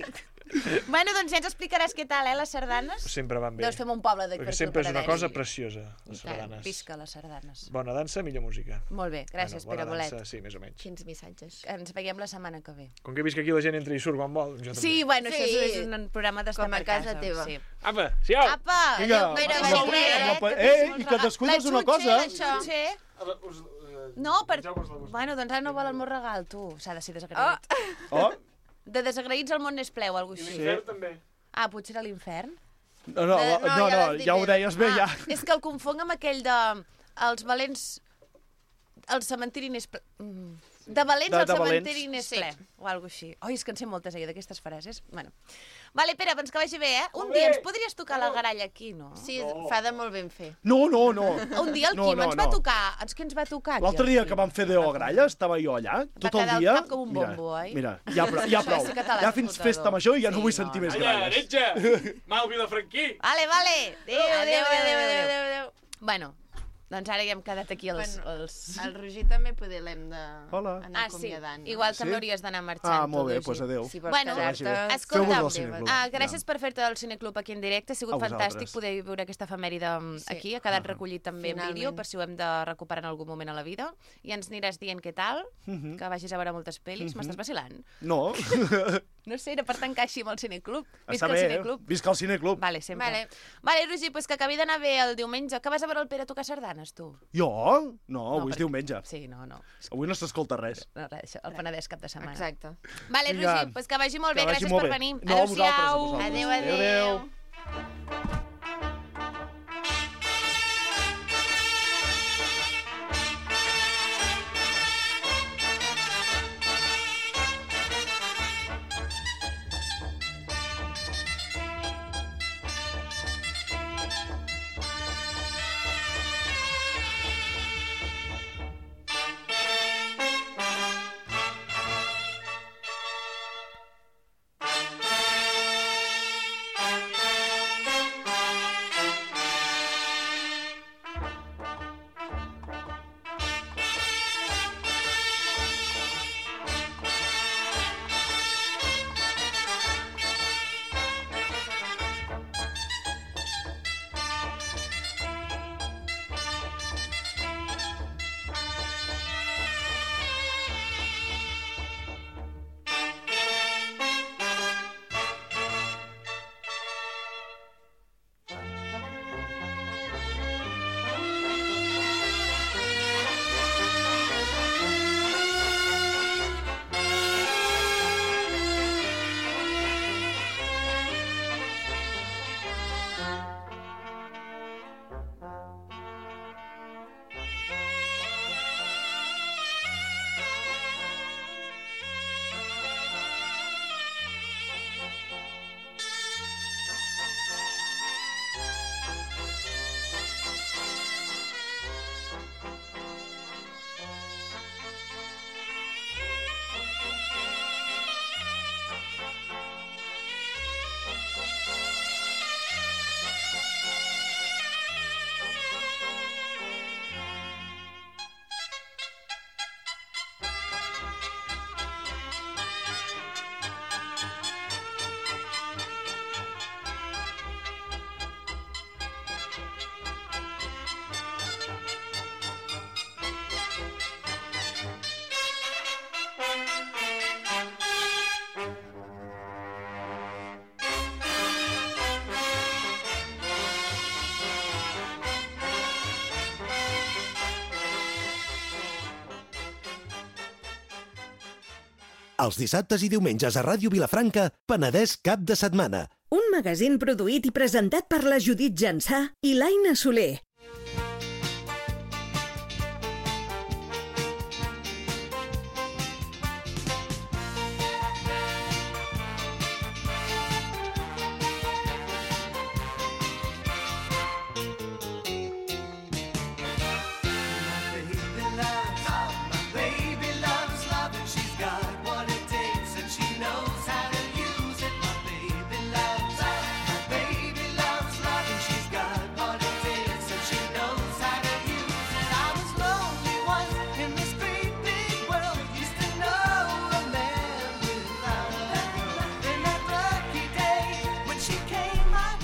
Bueno, doncs ja ens explicaràs què tal, eh, les sardanes? Sempre van bé. Deus fer un poble de Perquè sempre és una cosa preciosa, les I tant, sardanes. visca les sardanes. Bona dansa, millor música. Molt bé, gràcies, bueno, Pere bona Bolet. dansa, sí, més o menys. Quins missatges. Ens veiem la setmana que ve. Com que he vist que aquí la gent entra i surt quan vol, jo també. Sí, bueno, Sí. això és un programa d'estar Com a per casa teva. Sí. Apa, siau! Apa! Vinga, adéu, Pere, adéu, vagi bé, Pere, no pot- que eh, tens i molts que regals. descuides La una xutxa, cosa. la xutxa. No, per... Bueno, doncs ara no vol el meu regal, tu. S'ha de ser desagraït. Oh, De desagraïts el món n'és pleu, alguna cosa així. L'infern també. Ah, potser era l'infern? no, no, Eh, no, no, no, ja no l'has dit ja ho bé. deies bé, ja. Ah, és que el confonc amb aquell de... Els valents... El cementiri n'és ple... Mm. De valents De- el de valents. cementiri n'és Sí. ple. O alguna cosa així. Oi, és que en sé moltes, eh, d'aquestes frases. Bueno. Vale, Pere, doncs que vagi bé, eh? Un Molt dia bé. ens podries tocar la garalla aquí, no? Sí, fa de molt ben fer. No, no, no. Un dia el No, Quim no, ens va no. tocar... Ens, què ens va tocar aquí? L'altre el dia Quim? que vam fer Deo Gralla, estava jo allà, tot el quedar el dia... cap com un bombo, oi? Mira, ja, prou, ja Això prou. sí que te l'has Ja fins fotedor. festa major i ja no Sí, vull no, sentir no. més Calla, gralles. heretge! Mal Vilafranquí! Vale, vale. Adéu, adéu, adéu, adéu, adéu. adéu. Bueno, doncs ara ja hem quedat aquí els... Bueno, els... El Roger també poder l'hem de Hola. anar Ah, sí. acomiadant. no? Igual Sí? també hauries d'anar marxant. Ah, molt tu, bé, Roger. doncs adéu. Si vols Bueno, quedar-te... vagi Escolta'm, Feu-vos del cineclub. Ah, gràcies per fer-te del Cineclub aquí en directe. Ha sigut A vosaltres. fantàstic poder veure aquesta efemèride Sí. aquí. Ha quedat recollit també en Finalment. vídeo, per si ho hem de recuperar en algun moment a la vida. I ens aniràs dient què tal, Mhm. que vagis a veure moltes pel·lis. Mhm. M'estàs vacilant? No, No sé, era per tancar així amb el Cineclub. està Visca el bé, eh? Cineclub. Visca el cineclub. Vale, sempre. Vale. Vale, Roger, pues que acabi d'anar bé el diumenge. Que vas a veure el Pere tocar sardanes, tu? Jo? No, avui és perquè- diumenge. Sí, no, no. Avui no s'escolta res. No, res, això, el Penedès cap de setmana. Exacte. Vale, Vinga. Roger, pues que vagi molt bé. Que vagi Gràcies molt per bé. venir. No, a vosaltres, a Adéu-siau. vosaltres. Adéu, Adéu, adéu. adéu. Els dissabtes i diumenges a Ràdio Vilafranca, Penedès cap de setmana. Un magazín produït i presentat per la Judit Jansà i l'Aina Soler.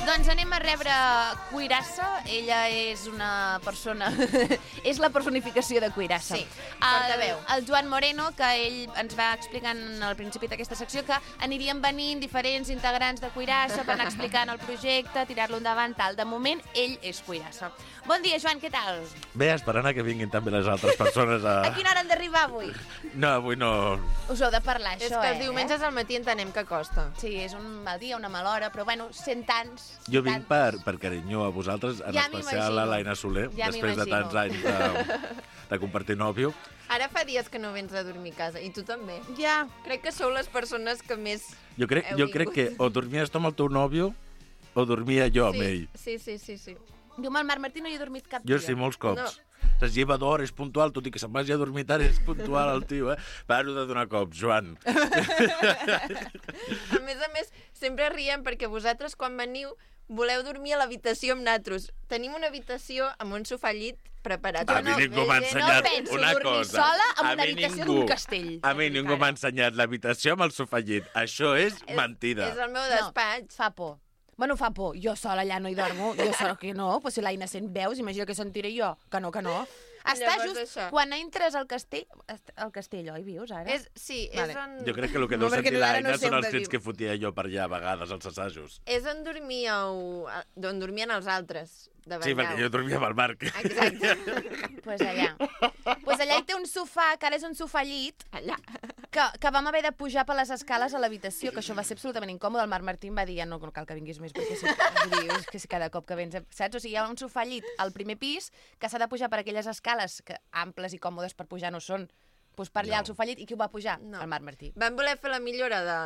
Doncs anem a rebre Cuirassa. Ella és una persona... és la personificació de Cuirassa. Sí, portaveu. El, el Joan Moreno, que ell ens va explicant al principi d'aquesta secció que anirien venint diferents integrants de Cuirassa per anar explicant el projecte, tirar-lo endavant, tal. De moment, ell és Cuirassa. Bon dia, Joan, què tal? Bé, esperant a que vinguin també les altres persones a... A quina hora han d'arribar avui? No, avui no... Us heu de parlar, És això, que eh? els diumenges al matí entenem que costa. Sí, és un mal dia, una mala hora, però bueno, cent anys... Jo vinc per, per carinyo a vosaltres, en Ja especial m'imagino. a l'Aina Soler, Ja després de m'imagino. tants anys de, de compartir nòvio. Ara fa dies que no vens a dormir a casa, i tu també. Ja. Crec que sou les persones que més... Jo crec, Heu jo crec que vingut. o dormies tu amb el teu nòvio o dormia jo amb sí, ell. Sí, sí, sí, sí. Jo amb el Marc Martí no hi he dormit cap Jo dia. sí, molts cops. No. Es lleva d'hora, és puntual, tot i que se'n vagi a dormir tard, és puntual el tio, eh? Paro de donar cops, Joan. A més a més, sempre riem perquè vosaltres, quan veniu, voleu dormir a l'habitació amb natros. Tenim una habitació amb un sofà llit preparat. A mi ningú m'ha ensenyat no penso una dormir cosa. sola en A una mi habitació ningú- d'un castell. A mi ningú m'ha ensenyat l'habitació amb el sofà llit. Això és mentida. És el meu despatx. Fa por. Bueno, fa por. Jo sola allà no hi dormo. Jo sola que no. Pues si l'Aina sent veus, imagina que sentiré jo. Que no, que no. Està Llavors, just això. quan entres al castell... Al castell, oi, vius, ara? És, sí, Vale. és on... Jo crec que el que No, deu perquè sentir ara l'Aina no sé són on els de crits viu. que fotia jo per allà a vegades als assajos. És on dormíeu... on dormien els altres, de Sí, perquè jo dormia amb el Marc. Exacte. Pues allà. Pues allà hi té un sofà, que ara és un sofà llit, Allà. que, que vam haver de pujar per les escales a l'habitació, que això va ser absolutament incòmode. El Marc Martí em va dir, ja no, no cal que vinguis més, perquè si, vull dir, és que si cada cop que vens, saps? O sigui, hi ha un sofà llit al primer pis que s'ha de pujar per aquelles escales que amples i còmodes per pujar no són. Pues per allà No. al sofà llit, i qui ho va pujar? No. El Marc Martí. Vam voler fer la millora de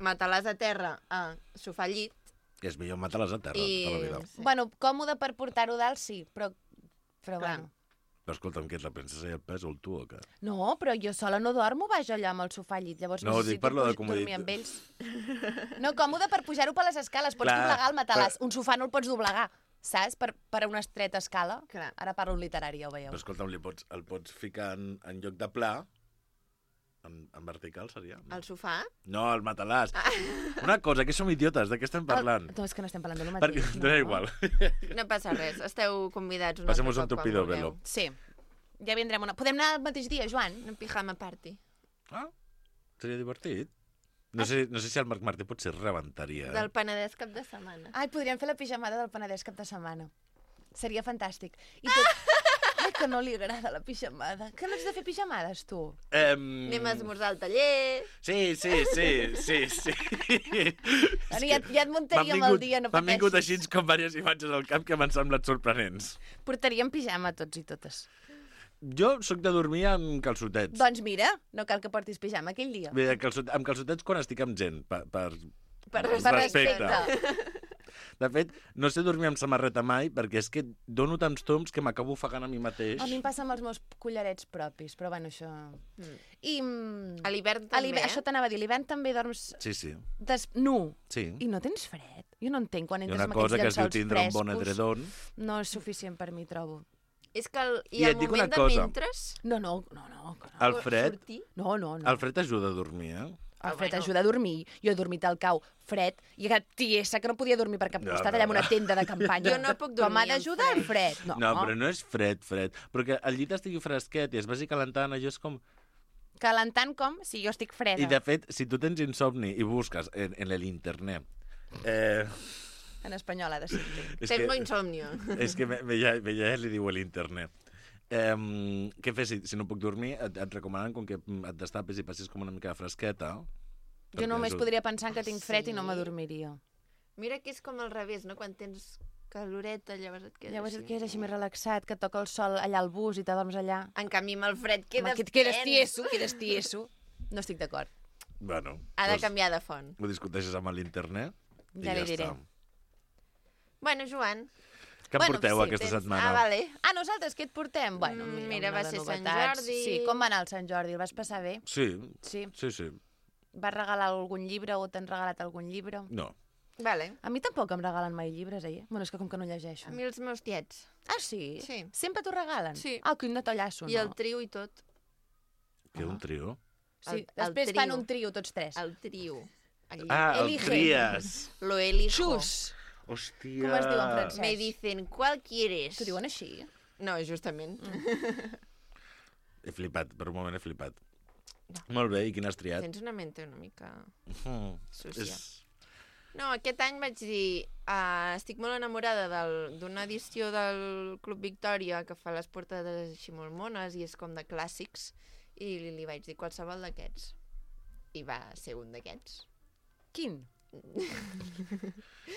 matalàs a terra a sofà llit. Que és millor matar-les a terra I... tota la vida. Sí. Bueno, còmode per portar-ho dalt, sí, però... Però Clar. bueno... Però escolta'm, què és la princesa i el pes o el tu o què? No, però jo sola no dormo baix allà amb el sofà llit, llavors No, necessito dic per lo de puj- comoditat. dormir amb ells. No, còmode per pujar-ho per les escales, pots Clar, doblegar el matalàs. però- Un sofà no el pots doblegar, saps? Per, per una estreta escala. Clar. Ara parlo en literari, ja ho veieu. Però escolta'm, li pots, el pots ficar en, en lloc de pla, en, en vertical seria? No, Al sofà? no el matalàs. Una cosa, que som idiotes, de què estem parlant? El... No, és que no estem parlant de lo Perquè, mateix. dona igual. No passa res, esteu convidats un Passemos altre un cop tupido quan velo. vulgueu. Sí, ja vindrem una... Podem anar el mateix dia, Joan? Un pijama party. Ah, seria divertit. No sé, no sé si el Marc Martí potser rebentaria. Eh? Del Penedès cap de setmana. Ai, podríem fer la pijamada del Penedès cap de setmana. Seria fantàstic. I tot... Ai, que no li agrada la pijamada. Que no ets de fer pijamades, tu? Em... Anem a esmorzar al taller... Sí, sí, sí, sí, sí. Bueno, ja, ja et muntaríem M'han el dia, no M'han vingut pateixis. així com diverses imatges al cap que m'han semblat sorprenents. Portaríem pijama tots i totes. Jo sóc de dormir amb calçotets. Doncs mira, no cal que portis pijama aquell dia. Bé, calçot, amb calçotets quan estic amb gent, per, per, Per Per respecte. respecte. De fet, no sé dormir amb samarreta mai, perquè és que dono tants toms que m'acabo ofegant a mi mateix. A mi em passa amb els meus collarets propis, però bueno, això... Mm. I... mm, A l'hivern a també, l'hivern- eh? Això t'anava a dir, a l'hivern també dorms Sí, sí. des... nu. Sí. I no tens fred? Jo no entenc quan Hi ha entres una amb cosa que aquests es diu llençols tindre un bon frescos. edredon. No és suficient per mi, trobo. És que el, I i el et dic una moment de cosa. mentres... No, no, no, no. que no. El fred, Sortir... No, no, no. el fred ajuda a dormir, eh? El fred bueno. ajuda a dormir. Jo he dormit al cau fred i que tiesa que no podia dormir per cap No, costat no. allà en una tenda de campanya. Jo no puc Com dormir ha d'ajudar amb el fred? No, No, però no és fred, fred. Però que el llit estigui fresquet i es vagi calentant, allò és com... Calentant com? Si jo estic freda. I de fet, si tu tens insomni i busques en, en l'internet... Eh, En espanyol ha de ser. és Tengo que, insomnio. és que me, me, ja, me ja li diu l'internet. Eh, què fes si, si no puc dormir? Et, et recomanen com que et destapis i passis com una mica de fresqueta. Jo només és... podria pensar que tinc fred Sí. i no m'adormiria. Mira que és com al revés, no? Quan tens caloreta, llavors et quedes Llavors així. et quedes així més relaxat, que et toca el sol allà al bus i t'adorms allà. En canvi, amb el fred Home, quedes que et quedes tens. tieso, quedes tieso. No estic d'acord. Bueno, Ha de doncs canviar de font. ho discuteixes amb l'internet i Ja ja, li diré. està. Bueno, Joan. Què em Bueno, porteu sí, aquesta tens- setmana? Ah, vale. Ah, nosaltres què et portem? Bueno, Mm, mira, mira, una va de ser Sant novetats. Jordi. Sí, com va anar el Sant Jordi? El vas passar bé? Sí, Sí. sí, sí. Vas regalar algun llibre o t'han regalat algun llibre? No. Vale. A mi tampoc em regalen mai llibres, eh? Bueno, és que com que no llegeixo. A mi els meus tiets. Ah, sí? Sí. Sempre t'ho regalen? Sí. Ah, quin detallasso, no? I el trio i tot. Què, un trio? Sí, el- el després trio. fan un trio, tots tres. El trio. El... Ah, el Elige. tries. Lo elijo. Xus! Hòstia. Com es diu en francès? Me dicen, ¿cuál quieres? T'ho diuen així? No, justament. Mm. He flipat, per un moment he flipat. Molt bé, i quin has triat? Tens una mente una mica Mm, sucia. és... No, aquest any vaig dir, uh, estic molt enamorada del- d'una edició del Club Victòria que fa les portades així molt mones i és com de clàssics, i li, li vaig dir qualsevol d'aquests. I va ser un d'aquests. Quin?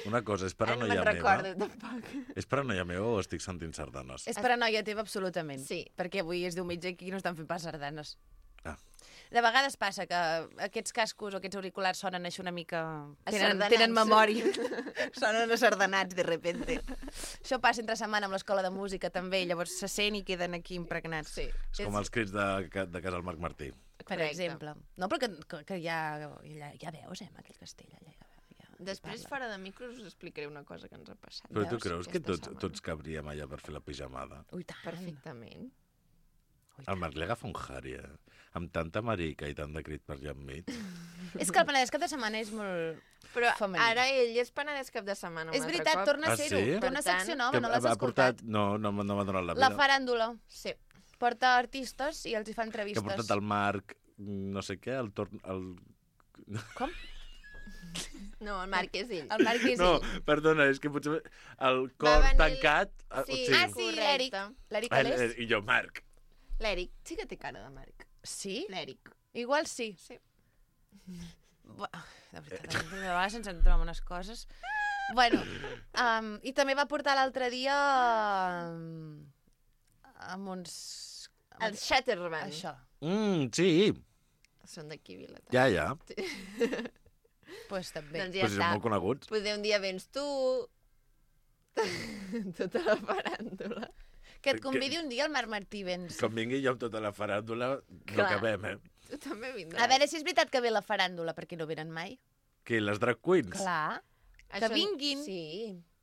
Una cosa, és Ah, no paranoia me'n meva? recordo, tampoc. És paranoia meva o estic sentint sardanes? És paranoia teva, absolutament. Sí. Perquè avui és diumenge i aquí no estan fent pas sardanes. Ah. De vegades passa que aquests cascos o aquests auriculars sonen així una mica... Tenen, Asardanats. tenen memòria. Sonen asardanats, de repente. Això passa entre setmana amb l'escola de música, també, i llavors se sent i queden aquí impregnats. Sí. És com els crits de, de casa del Marc Martí. Per Correcte. exemple. No, però que, que, que ja, ja, ja veus, eh, amb aquell castell. Allà, ja, ja, Després, parla. fora de micros, us explicaré una cosa que ens ha passat. Però tu Veus? creus que Aquesta tots, setmana. tots cabríem allà per fer la pijamada? Ui, tant. Perfectament. Ui, El Marc li agafa un jari, eh? Amb tanta marica i tant de crit per allà enmig. És que el Penedès cap de setmana és molt... Però Femení. ara ell és Penedès cap de setmana un És altre veritat, cop. torna a Ah, ser-ho. sí? Té una Per tant, secció nova, Que no l'has ha escoltat? portat... No, no, no m'ha donat la La vida. faràndula. Sí. Porta artistes i els hi fa Que ha entrevistes. portat el Marc, no sé què, el torn... El... Com? No, el Marc és ell. El Marc és No, ell. perdona, és que potser... El cor venir- tancat... ah, Sí. Ah, sí, correcte. l'Eric. L'Eric Ah, Alés? eh, I jo, Marc. L'Eric. Sí que té cara de Marc. Sí? L'Eric. Igual sí. Sí. Bu- De veritat, de vegades ens entrem unes coses. Bueno, um, i també va portar l'altre dia um, amb uns... amb El Shatterman. Això. Mm, sí, Són d'aquí, Vilatà. ja, ja. Pues també. Doncs ja Però si són està. molt coneguts. Potser un dia vens tu... tota la faràndula. Que et convidi un dia el Marc Martí Vents. Com vingui jo amb tota la faràndula, no Clar. acabem, eh? Tu també vindràs. A veure si és veritat que ve la faràndula, perquè no venen mai. Que les drag queens? Clar, Això- que vinguin. Sí.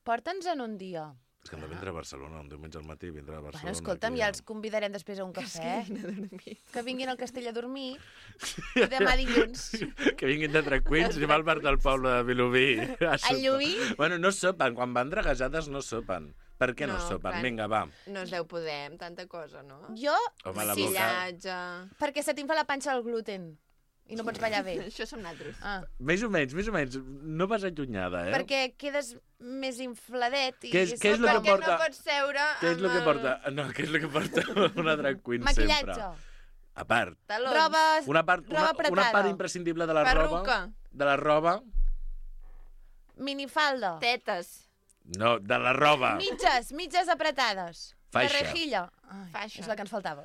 porta'ns en un dia. És que han de vindre a Barcelona, un diumenge al matí vindrà a Barcelona. Bueno, escolta'm, aquí, ja els convidarem després a un Que es cafè. quedin a dormir. Que vinguin al castell a dormir. I demà dilluns. Que vinguin de drag queens i va al bar del poble de Vilobí. A sopar. Llubí? Bueno, no sopen. Quan van draguejades no sopen. Per què no, No, sopen? clar. Vinga, va. No es deu poder amb tanta cosa, no? Jo, Home, la sí, boca. Maquillatge... perquè se t'infla la panxa del gluten. I no pots ballar bé. Això som nosaltres. Ah, Més o menys, més o menys. No vas allunyada, eh? perquè quedes més infladet. I Què és- què és sóc lo que com- Perquè porta- no pots seure Què és el que amb porta? No, què és el que porta una drag queen Maquillatge, sempre? A part. talons. roba, Una part, una, roba una apretada, part imprescindible de la roba... Perruca. De la roba... minifalda, Tetes. No, de la roba. mitges, mitges apretades. Faixa. De rejilla. Ai, Faixa. és la que ens faltava.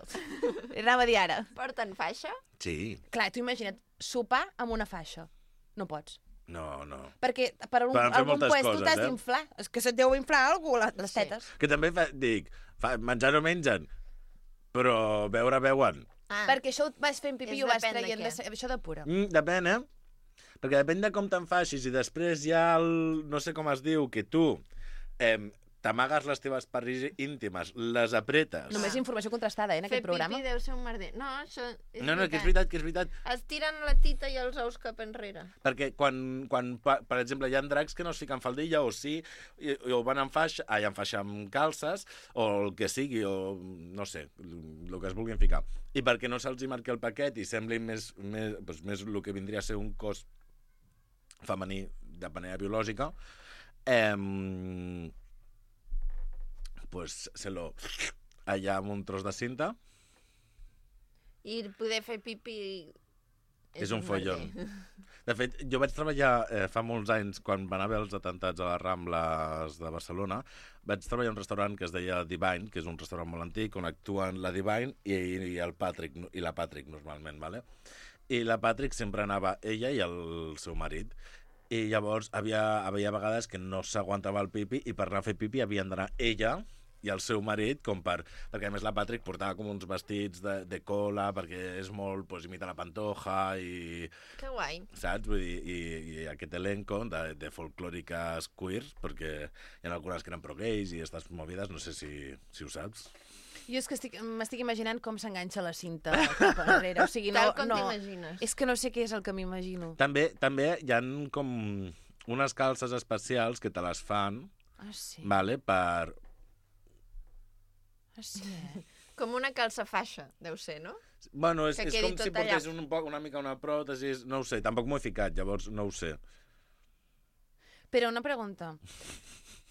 Anava a dir ara. Porten faixa? Sí. Clar, tu imagina't, sopar amb una faixa. No pots. No, no. Perquè per un, Poden fer algun moltes puesto coses, t'has eh? d'inflar. És que se't deu inflar algú, la- les Sí. tetes. Que també fa, dic, fa, menjar no mengen, però beure beuen. Ah, Perquè això ho vas fent pipí És i ho vas depèn de traient. què. De, se- això de pura. Mm, depèn, eh? Perquè depèn de com te'n facis i després hi ha el... no sé com es diu, que tu eh, t'amagues les teves parts íntimes, les apretes. Només informació contrastada, eh, en fer aquest programa. pipí deu ser un merder. No, això és No, no, que és veritat, que és veritat. Es tiren la tita i els ous cap enrere. Perquè quan, quan pa- per exemple, hi ha dracs que no es fiquen faldilla o sí, i, i o van en faixa, ai, en faixa amb calces, o el que sigui, o no sé, el que es vulguin ficar. I perquè no se'ls hi marqui el paquet i semblin més, més, doncs, més el que vindria a ser un cos femení de manera biològica, eh, pues se lo allà amb un tros de cinta. I poder fer pipi... És un follon. De fet, jo vaig treballar eh, fa molts anys, quan van haver els atentats a les Rambles de Barcelona, vaig treballar en un restaurant que es deia Divine, que és un restaurant molt antic, on actuen la Divine i, i el Patrick, i la Patrick normalment, ¿vale? I la Patrick sempre anava ella i el seu marit. I llavors havia, havia vegades que no s'aguantava el pipi i per anar a fer pipi havien d'anar ella i el seu marit, com per... Perquè, a més, la Patrick portava com uns vestits de, de cola, perquè és molt... Pues, imita la Pantoja i... Que guai. Saps? Vull dir, i, i aquest elenco de, de folclòriques queers, perquè hi ha algunes que eren pro-gays i estas movides, no sé si, si ho saps. Jo és que estic, m'estic imaginant com s'enganxa la cinta cap enrere. O sigui, no, Tal com no, t'imagines. és que no sé què és el que m'imagino. També, també hi ha com unes calces especials que te les fan, Ah, sí? vale, per... Ah, sí, eh? Com una calça faixa, deu ser, no? Bueno, és, Que és quedi com si tot allà. portés un poc, una mica una pròtesi, no ho sé, tampoc m'ho he ficat, llavors no ho sé. Però una pregunta.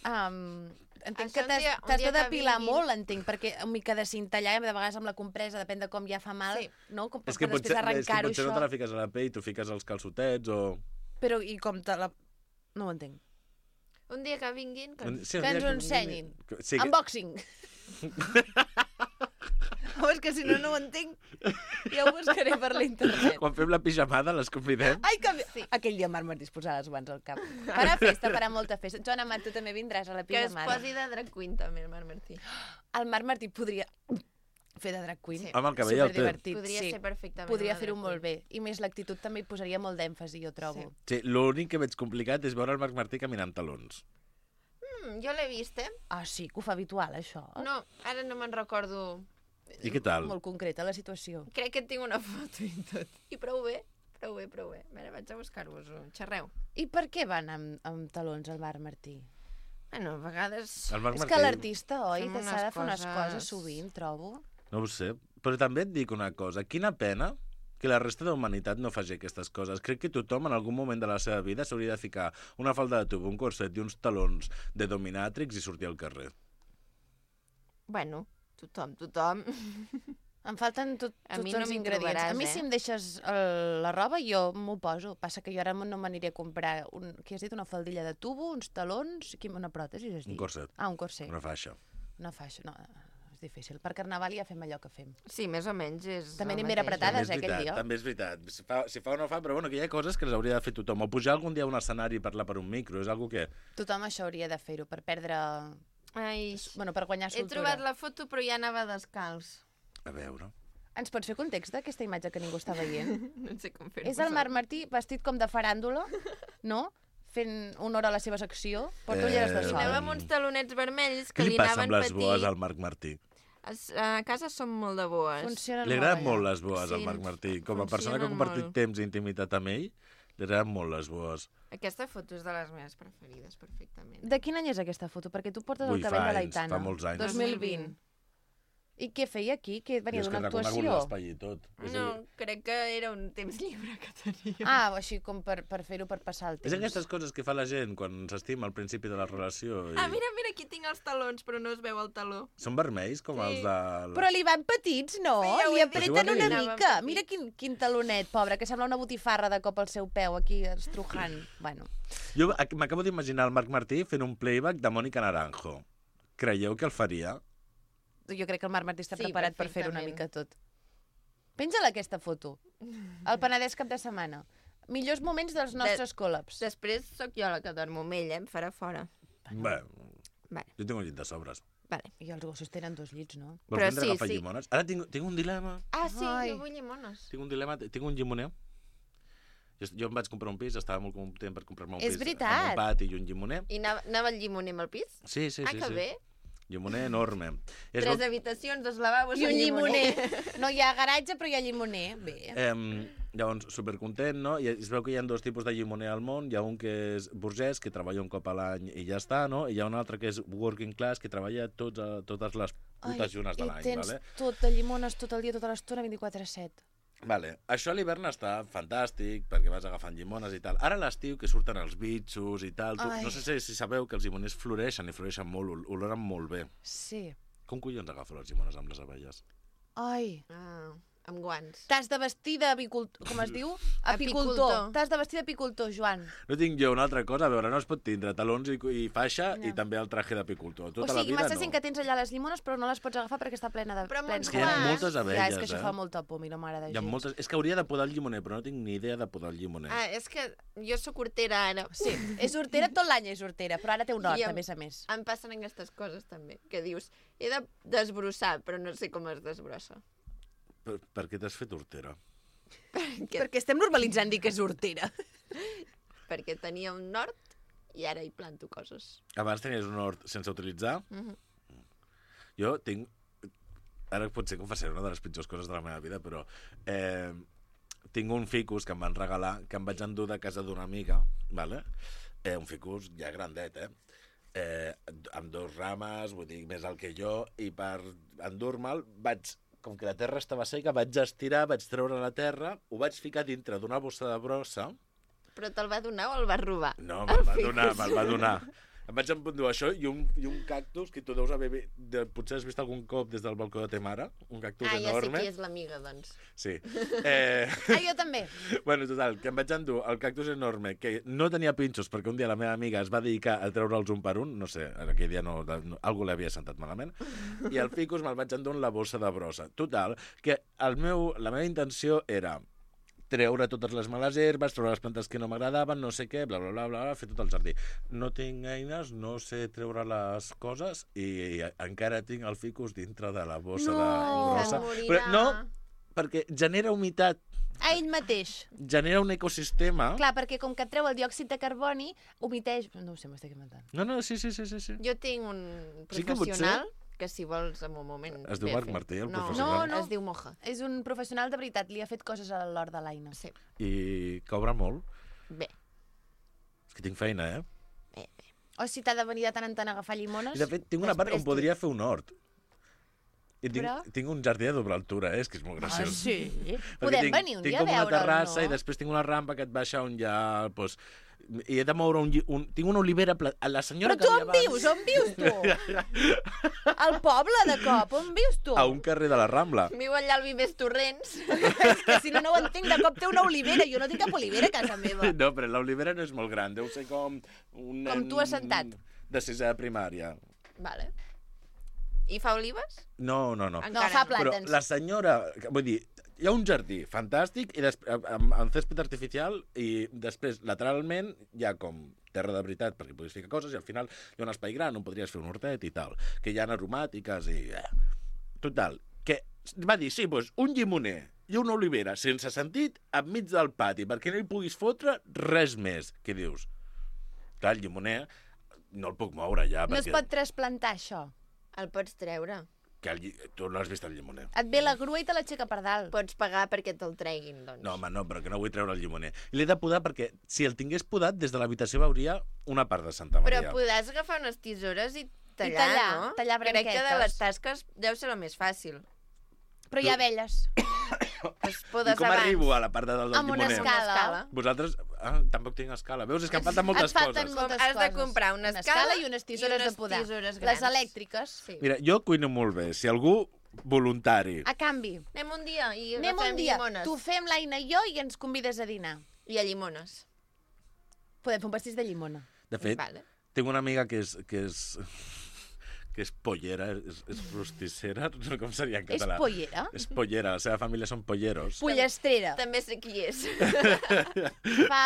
Um, entenc Això que un t'has dia- un t'has dia de que depilar vinguin. molt, entenc, perquè una mica de cinta allà, de vegades amb la compresa, depèn de com ja fa mal, Sí. no? Com És que, per potser, després és que arrencar-ho potser no això. te la fiques a la pell, t'ho fiques als calçotets o... Però i com te la... No ho entenc. Un dia que vinguin... Que... Sí, Que un dia ens ho ensenyin. Que- Sí, que... Unboxing. Oh, és que si no, no ho entenc. Ja ho buscaré per l'internet. Quan fem la pijamada les convidem. Ai, que... Sí. Aquell dia Marc Martí es posarà les guants al cap. Farà festa, farà molta festa. Joana Mar, tu també vindràs a la Que es pijamada. posi de drag queen també, el Marc Martí. El Marc Martí podria fer de drag queen. Sí. Home, el cabell el té. Superdivertit, Podria sí. ser perfectament Podria una fer-ho drag molt queen. bé. I més l'actitud també hi posaria molt d'èmfasi, jo trobo. Sí. Sí, l'únic que veig complicat és veure el Marc Martí caminant talons. Mm, jo l'he vist, eh? Ah, sí, que ho fa habitual, això. No, ara no me'n recordo. I què tal? Molt concreta, la situació. Crec que tinc una foto i tot. I prou bé, prou bé, prou bé. A veure, vaig a buscar-vos-ho. Xerreu. I per què van amb, amb talons al Marc Martí? Bueno, a vegades... El Marc És Martí... que l'artista, oi, Fem que s'ha unes de fer unes coses- coses sovint, trobo. No ho sé, però també et dic una cosa. Quina pena que la resta de la humanitat no faci aquestes coses. Crec que tothom en algun moment de la seva vida s'hauria de ficar una falda de tub, un corset i uns talons de dominàtrix i sortir al carrer. Bueno, tothom, tothom. Em falten tot, A tots mi no els m'hi ingredients. trobaràs, A mi, eh? si em deixes el, la roba, jo m'ho poso. Passa que jo ara no m'aniré a comprar, un, què has dit, una faldilla de tubo, uns talons, quin- una pròtesi, has dit? Un corset. Ah, un corset. Una faixa. Una faixa, no, és difícil. Per Carnaval ja fem allò que fem. Sí, més o menys és També el anem ben mateix. apretades, També és eh, aquell veritat, dia. també és veritat. Si fa, si fa o no fa, però bueno, que hi ha coses que les hauria de fer tothom. O pujar algun dia a un escenari i parlar per un micro, és algo que... Tothom això hauria de fer-ho per perdre... Ai, Bueno, per guanyar he soltura. trobat la foto però ja anava descalç. A veure... Ens pots fer context d'aquesta imatge que ningú està veient? No sé com fer-ho. És el Marc Martí vestit com de faràndula, no? Fent honor a la seva secció. Porta Eh, ulleres de I sol. anava amb uns talonets vermells que Què li li passa anaven amb les petit. boes al Marc Martí? Es- A casa som molt de boes. Funcionen Li molt agraden allà. molt les boes Sí, al Marc Martí. Com a persona que ha funcionen compartit molt. temps i intimitat amb ell, li agraden molt les boes. Aquesta foto és de les meves preferides, perfectament. De quin any és aquesta foto? Perquè tu portes Ui, el cabell fa de anys, l'Aitana. fa molts anys. dos mil vint. I què feia aquí? Que venia és que d'una he reconegut actuació? l'espai i tot. És a No, dir, crec que era un temps lliure que tenia. Ah, així com per, per fer-ho per passar el temps. És aquestes coses que fa la gent quan s'estima al principi de la relació. I... Ah, mira, mira, aquí tinc els talons, però no es veu el taló. Són vermells, com Sí. els de... La... Però li van petits, no? Sí, ja ho li he dit. apreten Però si ho una has dit. mica. Mira quin, quin talonet, pobre, que sembla una botifarra de cop al seu peu, aquí estrujant. Bueno, Jo ac- m'acabo d'imaginar el Marc Martí fent un playback de Mònica Naranjo. Creieu que el faria? jo crec que el Marc Martí està Sí, preparat per fer una perfectament. mica tot. Penja-la aquesta foto. El Penedès cap de setmana. Millors moments dels nostres col·labs. Després sóc jo la que dormo amb ell, eh? Em farà fora. Bé, Vale, jo tinc un llit de sobres. vale. I els gossos tenen dos llits, no? Vols Però vindre sí, a agafar sí. llimones? Ara tinc, tinc un dilema. Ah, sí, Ai. no vull llimones. Tinc un dilema, tinc un llimoner. Jo, jo em vaig comprar un pis, estava molt content per comprar-me un És pis veritat. amb un pati i un llimoner. I anava, anava el llimoner amb el pis? Sí, sí, ah, sí. que sí. bé. Llimoner enorme. És Tres bo- habitacions, dos lavabos I un llimoner. No hi ha garatge, però hi ha llimoner. Bé. Eh, llavors, supercontent, no? I es veu que hi ha dos tipus de llimoner al món. Hi ha un que és burgès, que treballa un cop a l'any i ja està, no? I hi ha un altre que és working class, que treballa tots, a, totes les putes llunes de i l'any, tens vale? tot de llimones tot el dia, tota l'estona, vint-i-quatre set. Vale. Això a l'hivern està fantàstic, perquè vas agafant llimones i tal. Ara a l'estiu, que surten els bitxos i tal, tu, Ai. no sé si, si sabeu que els llimoners floreixen i floreixen molt, ol- oloren molt bé. Sí. Com collons agafo les llimones amb les abelles? Ai... Ah, amb guants. T'has de vestir d'apicultor... Com es diu? Apicultor. Apicultor. T'has de vestir d'apicultor, Joan. No tinc jo una altra cosa, a veure, no es pot tindre talons i, i faixa No. i també el traje d'apicultor. O Tota la sigui, vida m'estàs no. dient que tens allà les llimones, però no les pots agafar perquè està plena de... Però amb plens uns Que hi ha guants. moltes abelles, Ja, és que això eh? fa molta por, mira, mare de Hi ha Déu. moltes... És que hauria de podar el llimoner, però no tinc ni idea de podar el llimoner. Ah, és que jo sóc hortera ara. Sí, és hortera, tot l'any és hortera, però ara té un hort, I em- a més a més. Em passen aquestes coses també, que dius, he de desbrossar, però no sé com es desbrossa. Per, per què t'has fet hortera? Perquè, Perquè estem normalitzant dir que és hortera. perquè tenia un nord i ara hi planto coses. Abans tenies un hort sense utilitzar? Mhm. Jo tinc... Ara potser confessaré una de les pitjors coses de la meva vida, però... Eh, tinc un ficus que em van regalar, que em vaig endur de casa d'una amiga, vale? eh, un ficus ja grandet, eh? eh? Amb dos rames, vull dir, més alt que jo, i per endur-me'l vaig... Com que la terra estava seca, vaig estirar, vaig treure la terra, ho vaig ficar dintre d'una bossa de brossa. Però te'l va donar o el vas robar? No, me'l va donar, me'l va donar. Em vaig empundur això i un, i un cactus que tu deus haver... De, potser has vist algun cop des del balcó de ta mare, un cactus Ah, ja sé enorme. qui és l'amiga, doncs. Sí. Eh, Ah, jo també. bueno, total, que em vaig endur el cactus enorme, que no tenia pinxos, perquè un dia la meva amiga es va dedicar a treure'ls un per un, no sé, aquell dia no, no algú l'havia sentat malament, i el ficus me'l vaig endur en la bossa de brossa. Total, que el meu, la meva intenció era treure totes les males herbes, treure les plantes que no m'agradaven, no sé què, bla, bla, bla, bla, bla, fer tot el jardí. No tinc eines, no sé treure les coses i, i encara tinc el ficus dintre de la bossa No, de brossa. se'n morirà. Però no, perquè genera humitat, A ell mateix. genera un ecosistema. Clar, perquè com que et treu el diòxid de carboni, humiteix... No ho sé, m'estic inventant. No, no, sí, sí, sí, sí. sí. Jo tinc un Sí que professional que si vols en un moment... Es diu ve a Marc fer. Martí, el no, professional? No, no. Es diu Moja. És un professional de veritat, li ha fet coses a l'hort de l'Aina. Sí. I cobra molt. Bé. És que tinc feina, eh? bé, bé. O si t'ha de venir de tant en tant a agafar llimones... I de fet, tinc una part Després on podria fer un hort. I tinc, Però? tinc un jardí de doble altura, eh? És que és molt Ah, graciós. sí? Perquè Podem tinc, venir un tinc dia a com una veure'l, terrassa no? i després tinc una rampa que et baixa on hi ha... Doncs, i he de moure un, lli- un... Tinc una olivera... Pla... La senyora Però tu que on havia vius? On vius tu? Al poble, de cop, on vius tu? A un carrer de la Rambla. Viu allà al Vives Torrents. Que si no, no ho entenc, de cop té una olivera. Jo no tinc cap olivera a casa meva. No, però l'olivera no és molt gran. Deu ser com... Un Com nen tu assentat. De sisè de primària. Vale. I fa olives? No, no, no. No, Encara fa no. Però plàtans. la senyora... Vull dir, hi ha un jardí fantàstic i després, amb, amb césped artificial i després, lateralment, hi ha com terra de veritat perquè puguis ficar coses i al final hi ha un espai gran on podries fer un hortet i tal, que hi ha aromàtiques i... Eh. Total, que va dir, sí, doncs, un llimoner i una olivera sense sentit enmig del pati perquè no hi puguis fotre res més. Què dius? Clar, el llimoner no el puc moure ja No es perquè... pot trasplantar, això. El pots treure. Que el, lli- tu no has vist el llimoner. Et ve la grua i te l'aixeca per dalt. Pots pagar perquè te'l treguin, doncs. No, home, no, però que no vull treure el llimoner. L'he de podar perquè si el tingués podat, des de l'habitació veuria una part de Santa Però Maria. podràs agafar unes tisores i tallar, tallar, no? tallar Crec que de branquetes. les tasques deu ser el més fàcil. Però hi ha abelles. Es I podes com abans. arribo a la part de dalt del Amb una llimoner? escala. escala. Vosaltres... Ah, tampoc tinc escala. Veus? És que em falten moltes Et falten coses. moltes Has de coses. comprar una Una escala escala i unes tisores i unes de podar. tisores Les grans. elèctriques. Sí. Mira, jo cuino molt bé. Si algú voluntari... A canvi, Anem un dia i anem agafem un dia, llimones. tu fem l'Aina i jo i ens convides a dinar. I a llimones. Podem fer un pastís de llimona. De fet, Vale. tinc una amiga que és... Que és... que és pollera, és, és rostissera, no sé com seria en És català. pollera? És pollera, la seva família són polleros. Pollestrera. També sé qui és. Fa,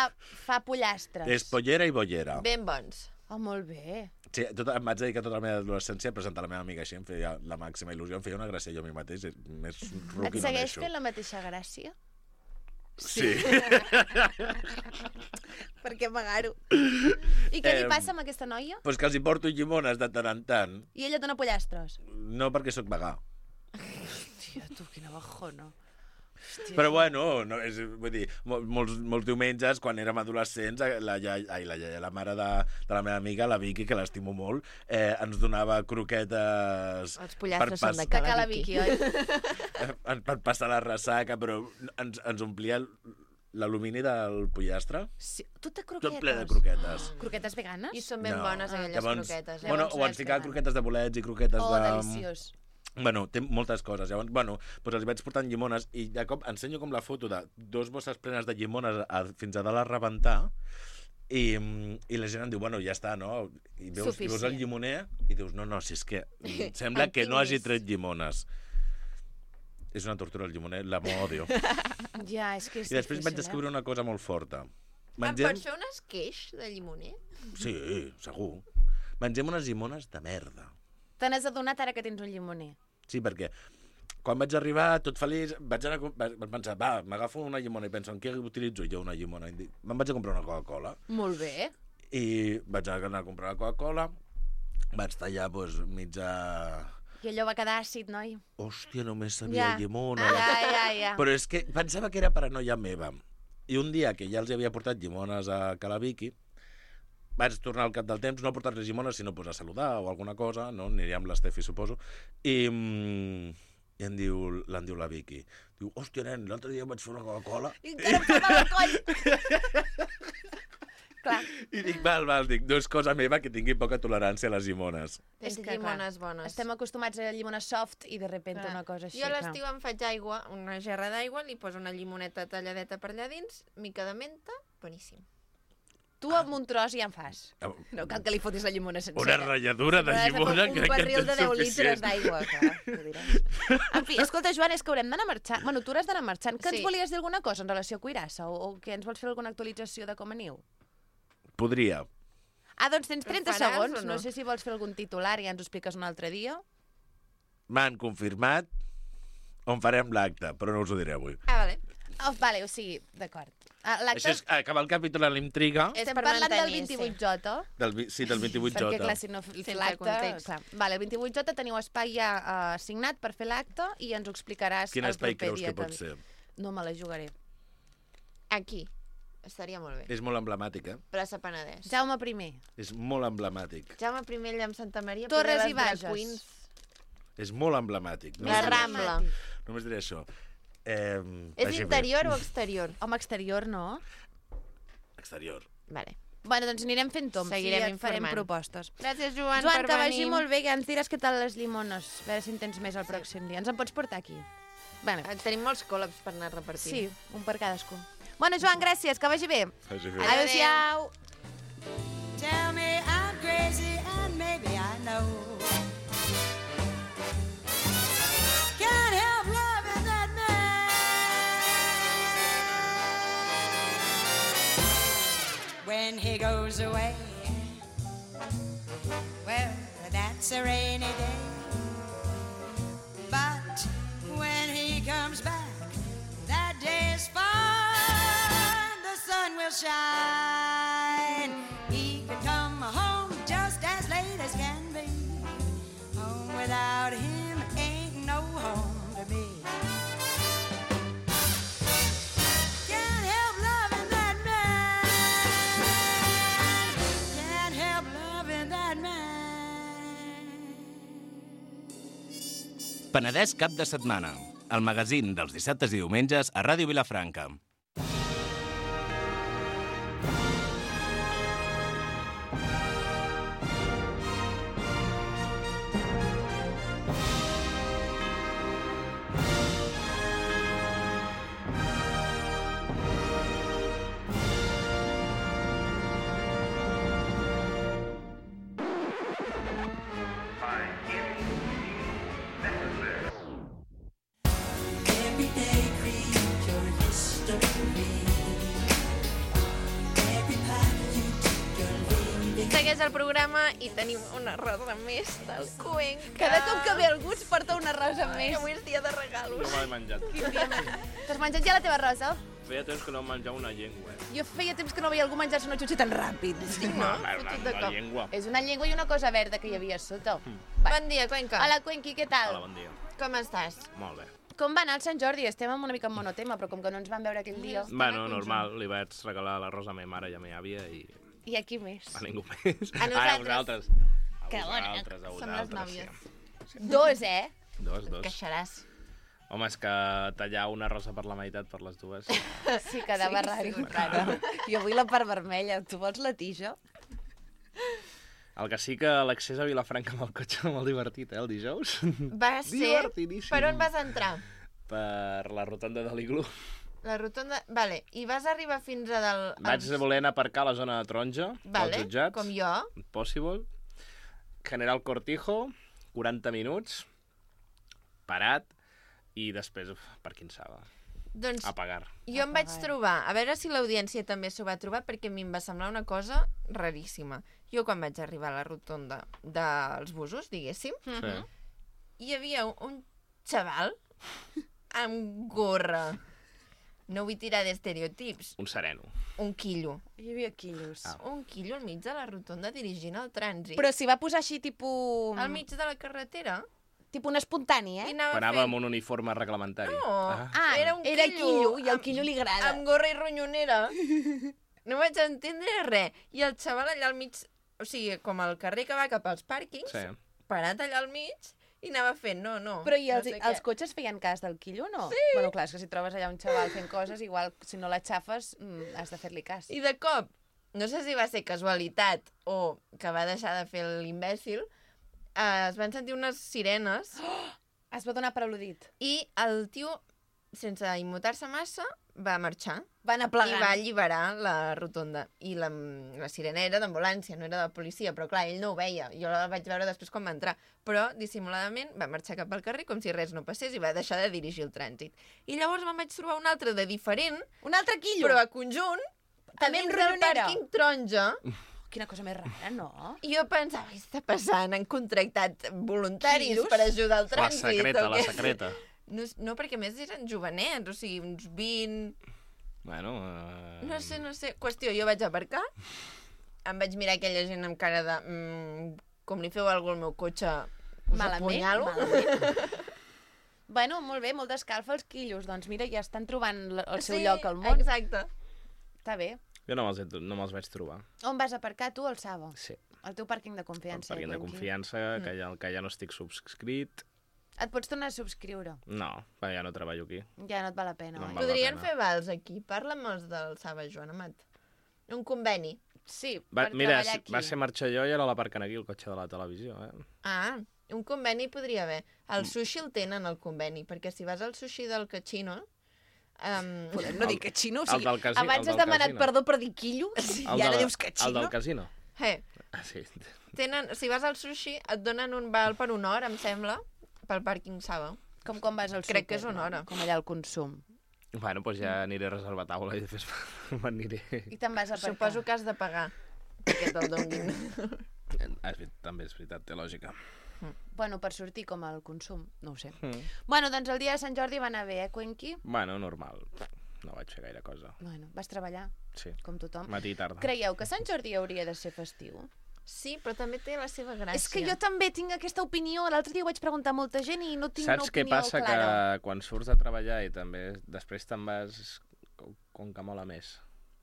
fa pollastres. És pollera i bollera. Ben bons. Oh, molt bé. Sí, tota, em vaig dedicar tota la meva adolescència a presentar la meva amiga així, em feia la màxima il·lusió, em feia una gràcia jo a mi mateix, més ruc Et i no segueix neixo. fent la mateixa gràcia? Sí. Per què pagar-ho? I què li Em, passa amb aquesta noia? Pues que els hi porto llimones de tant en tant, I ella dona pollastres. no perquè sóc vegà. Hòstia, tu, quina bajona. Hòstia. Però bueno, no, és, vull dir, mol, molts, molts diumenges, quan érem adolescents, la iaia, ai, la, iaia, la mare de, de la meva amiga, la Vicky, que l'estimo molt, eh, ens donava croquetes... Els pollastres són de De Cala Cala Vicky. Vicky, oi? eh, per passar la ressaca, però ens, ens omplia l'alumini del pollastre, Sí. Tot de tot croquetes. ple de croquetes. Croquetes veganes? I són ben No. bones, aquelles Llavors, croquetes. Eh? Bueno, Llavors o no ens és ficava vegana. croquetes de bolets i croquetes Oh, de... deliciós. Bueno, té moltes coses. Llavors, bueno, doncs els vaig portant llimones i de cop ensenyo com la foto de dos bosses plenes de llimones a, fins a dalt a rebentar i, i la gent em diu, bueno, ja està, no? I veus, i veus el Suficient. llimoner i dius, no, no, si és que mm, sembla En que no hagi tinguis. tret llimones. És una tortura el llimoner, l'amo odio. Ja, és que és I després difícil, vaig descobrir una cosa molt forta. Em Mengem... pots fer un esqueix de llimoner? Sí, segur. Mengem unes llimones de merda. eh? Te n'has adonat ara que tens un llimoner. Sí, perquè quan vaig arribar tot feliç, vaig, anar, a- vaig pensar, va, m'agafo una llimona i penso, en què utilitzo jo una llimona? I dic, me'n vaig a comprar una Coca-Cola. Molt bé. I vaig anar a comprar la Coca-Cola, vaig tallar doncs, mitja... I allò va quedar àcid, noi. Hòstia, només sabia Ja. llimona. Ja, ja, ja. Però és que pensava que era paranoia meva. I un dia que ja els havia portat llimones a Calaviqui, vaig tornar al cap del temps, no a portar-les llimones, sinó pues, a saludar o alguna cosa, no? Aniria amb l'Estefi, suposo. I, mm, i em diu, l'en diu la Vicky. Diu, hòstia, nen, l'altre dia vaig fer una Coca-Cola. I encara em fa mal al coll. Clar. I dic, val, val, dic, no és cosa meva que tingui poca tolerància a les llimones. Tens És que, llimones clar, bones. Estem acostumats a llimones soft i de repente Clar. una cosa així. Jo a clar. l'estiu em faig aigua, una gerra d'aigua, li poso una llimoneta talladeta per allà dins, mica de menta, boníssim. Tu amb un tros ja en fas. Ah, No cal que li fotis la llimona sencera. Una ratlladura de llimona un crec que barril de és deu litres suficient. d'aigua. clar, ho diràs. En fi, escolta, Joan, és que haurem d'anar marxant. Bueno, tu hauràs d'anar marxant. Que Sí. ens volies dir alguna cosa en relació a Cuirassa? O, o que ens vols fer alguna actualització de com aniu? Podria. Ah, doncs tens trenta faràs segons. o no? No sé si vols fer algun titular i ja ens ho expliques un altre dia. M'han confirmat on farem l'acte, però no us ho diré avui. Ah, vale. Oh, vale, o sigui, d'acord. Ah, l'acte Això és acabar el capítol a l'intriga. És estem per parlant del mantenir, vint-i-vuit J. Del, vi- sí, del vint-i-vuit J. Perquè, clar, si no Sense l'acte... context. Clar. Vale, el vint-i-vuit J teniu espai ja uh, assignat per fer l'acte i ens ho explicaràs Quin el espai proper creus dia que pot ve. ser? No me la jugaré. Aquí. Estaria molt bé. És molt emblemàtic, eh? Plaça Penedès. Jaume primer. És molt emblemàtic. Jaume primer allà amb Santa Maria. Torres poder i les drag Bages. queens. És molt emblemàtic. La Només diré- Rambla. Només diré això. Eh, És vagi bé. interior o exterior? Home, exterior, no? Exterior. Vale. Bueno, doncs anirem fent toms Seguirem i et farem informant. propostes. Gràcies, Joan, Joan, per que venir. vagi molt bé, que ens diràs què tal les llimones. A veure si en tens més el pròxim dia. Ens en pots portar aquí? Bueno, Eh, Tenim molts col·labs per anar repartint. sí, un per cadascú. Bueno, Joan, gràcies, que vagi bé. Vagi bé. Adéu-siau. Tell me I'm crazy and maybe I know. Can't help loving that man. When he goes away, well, that's a rainy day. But when he comes back, that day is fine. The sun will shine. He can come home just as late as can be. Home without him ain't no home to me. Can't help loving that man. Can't help loving that man. Penedès cap de setmana. El magazín dels dissabtes i diumenges a Ràdio Vilafranca. Everyday creature history. Every path you take, you're leaving. Segueix el programa i tenim una rosa més del Cuenca. Cada cop que ve algú ens porta una rosa Ai, més. avui és dia de regalos. No me l'he menjat. T'has menjat ja la teva rosa? Feia temps que no em menjava una llengua. Eh? Jo feia temps que no veia algú menjar-se una xutxa tan ràpid. Sí, no? Una, Fotut de una cop. llengua. És una llengua i una cosa verda que hi havia a sota. Bon dia, Cuenca. Hola, Cuenqui, què tal? Hola, bon dia. Com estàs? Molt bé. Com va anar el Sant Jordi? Estem amb una mica en monotema, però com que no ens vam veure aquell dia... Bueno, normal, li vaig regalar la rosa a ma mare i a ma àvia i I aquí més. a ningú més. A Ah, a nosaltres. vosaltres. A Que bona. vosaltres, a Som les vosaltres, nòvies. sí. Dos, eh? Dos, dos. Queixaràs. Home, és que tallar una rosa per la meitat per les dues... Sí, quedava Sí, raro. sí, raro. Jo vull la part vermella. Tu vols la tija? El que sí que l'accés a Vilafranca amb el cotxe era molt divertit, eh, el dijous. Va ser... Divertidíssim. Per on vas entrar? Per la rotonda de l'Iglú. La rotonda... Vale, i vas arribar fins a del... Vaig als- voler anar a aparcar a la zona de taronja, Vale, dels jutjats. com jo. Possible. General Cortijo, quaranta minuts, parat, i després, uf, per quin saba. Doncs A pagar. jo em vaig trobar, a veure si l'audiència també s'ho va trobar, perquè a mi em va semblar una cosa raríssima. Jo quan vaig arribar a la rotonda dels busos, diguéssim, Sí. hi havia un, un xaval amb gorra. No vull tirar d'estereotips. Un sereno. Un quillo. Hi havia quillos. Ah. Un quillo al mig de la rotonda dirigint el trànsit. Però s'hi va posar així, tipus... Al mig de la carretera. Tipus un espontani, I eh? anava Anava fent... amb un uniforme reglamentari. No, Ah, era un era quillo. quillo, i al amb- quillo li agrada. Amb gorra i ronyonera. No vaig entendre res. I el xaval allà al mig, o sigui, com el carrer que va cap als pàrquings, Sí. parat allà al mig, i anava fent, no, no. Però i els, no sé els què. cotxes feien cas del quillo, no? Sí. Bueno, clar, és que si trobes allà un xaval fent coses, igual, si no l'aixafes, mm, has de fer-li cas. I de cop, no sé si va ser casualitat o que va deixar de fer l'imbècil, eh, es van sentir unes sirenes Es va donar per al·ludit. i el tio, sense immutar-se massa, va marxar. Van I aplegant. va alliberar la rotonda. I la, la sirena era d'ambulància, no era de policia, però clar, ell no ho veia. Jo la vaig veure després quan va entrar. Però, dissimuladament, va marxar cap al carrer com si res no passés i va deixar de dirigir el trànsit. I llavors me'n vaig trobar un altre de diferent, Un altre quillo. però a conjunt, També a amb dins del ronyonera. pàrquing taronja. Quina cosa més rara, no? I jo pensava, què està passant? Han contractat voluntaris Quillos? per ajudar al La trànsit? secreta, o la què? secreta. No, no, perquè a més eren jovenets, o sigui, uns vint... Bueno... Uh... No sé, no sé. Qüestió, jo vaig aparcar, em vaig mirar aquella gent amb cara de... Mm, com li feu alguna al meu cotxe, us Malament, apunyalo. malament. Bueno, molt bé, molt d'escalfa els quillos. Doncs mira, ja estan trobant l- el seu Sí, lloc al món. Exacte. Està bé. Jo no me'ls he- no me'ls vaig trobar. On vas aparcar tu, al Sabo? Sí. El teu pàrquing de El confiança. pàrquing de Quenqui. confiança, que ja, que ja no estic subscrit. Et pots tornar a subscriure. No, perquè ja no treballo aquí. Ja no et val la pena, No oi? em val. Podrien pena. fer vals aquí. Parla'm els del Saba, Joan Amat. Un conveni. Sí, Va, per mira, treballar si, aquí. va ser marxar jo i ara l'aparquen aquí, el cotxe de la televisió. Eh? Ah, un conveni podria haver. Mm. El sushi el tenen, el conveni, perquè si vas al sushi del Cachino... Um, Podem no dir que xino, o el sigui, del casi- abans el has del demanat casino. perdó per dir quillo i ara de- dius que El xino. del casino. hey, Ah, sí. tenen, si vas al sushi et donen un val per una hora, em sembla, pel pàrquing Saba. Com quan vas al súper. Crec que és una hora. Com allà al consum. Bueno, doncs ja aniré a reservar taula i després m'aniré. I te'n vas a aparcar. Suposo que has de pagar perquè te'l donin. Ah, és ver- també és veritat, té lògica. Bueno, per sortir com al consum, no ho sé. Mm. Bueno, doncs el dia de Sant Jordi va anar bé, eh, Cuenqui? Bueno, normal. No vaig fer gaire cosa. Bueno, vas treballar, Sí, com tothom. matí i tarda. Creieu que Sant Jordi hauria de ser festiu? Sí, però també té la seva gràcia. És que jo també tinc aquesta opinió. L'altre dia ho vaig preguntar a molta gent i no tinc Saps una què opinió passa? clara. Que quan surts a treballar i també després te'n vas com, com que mola més.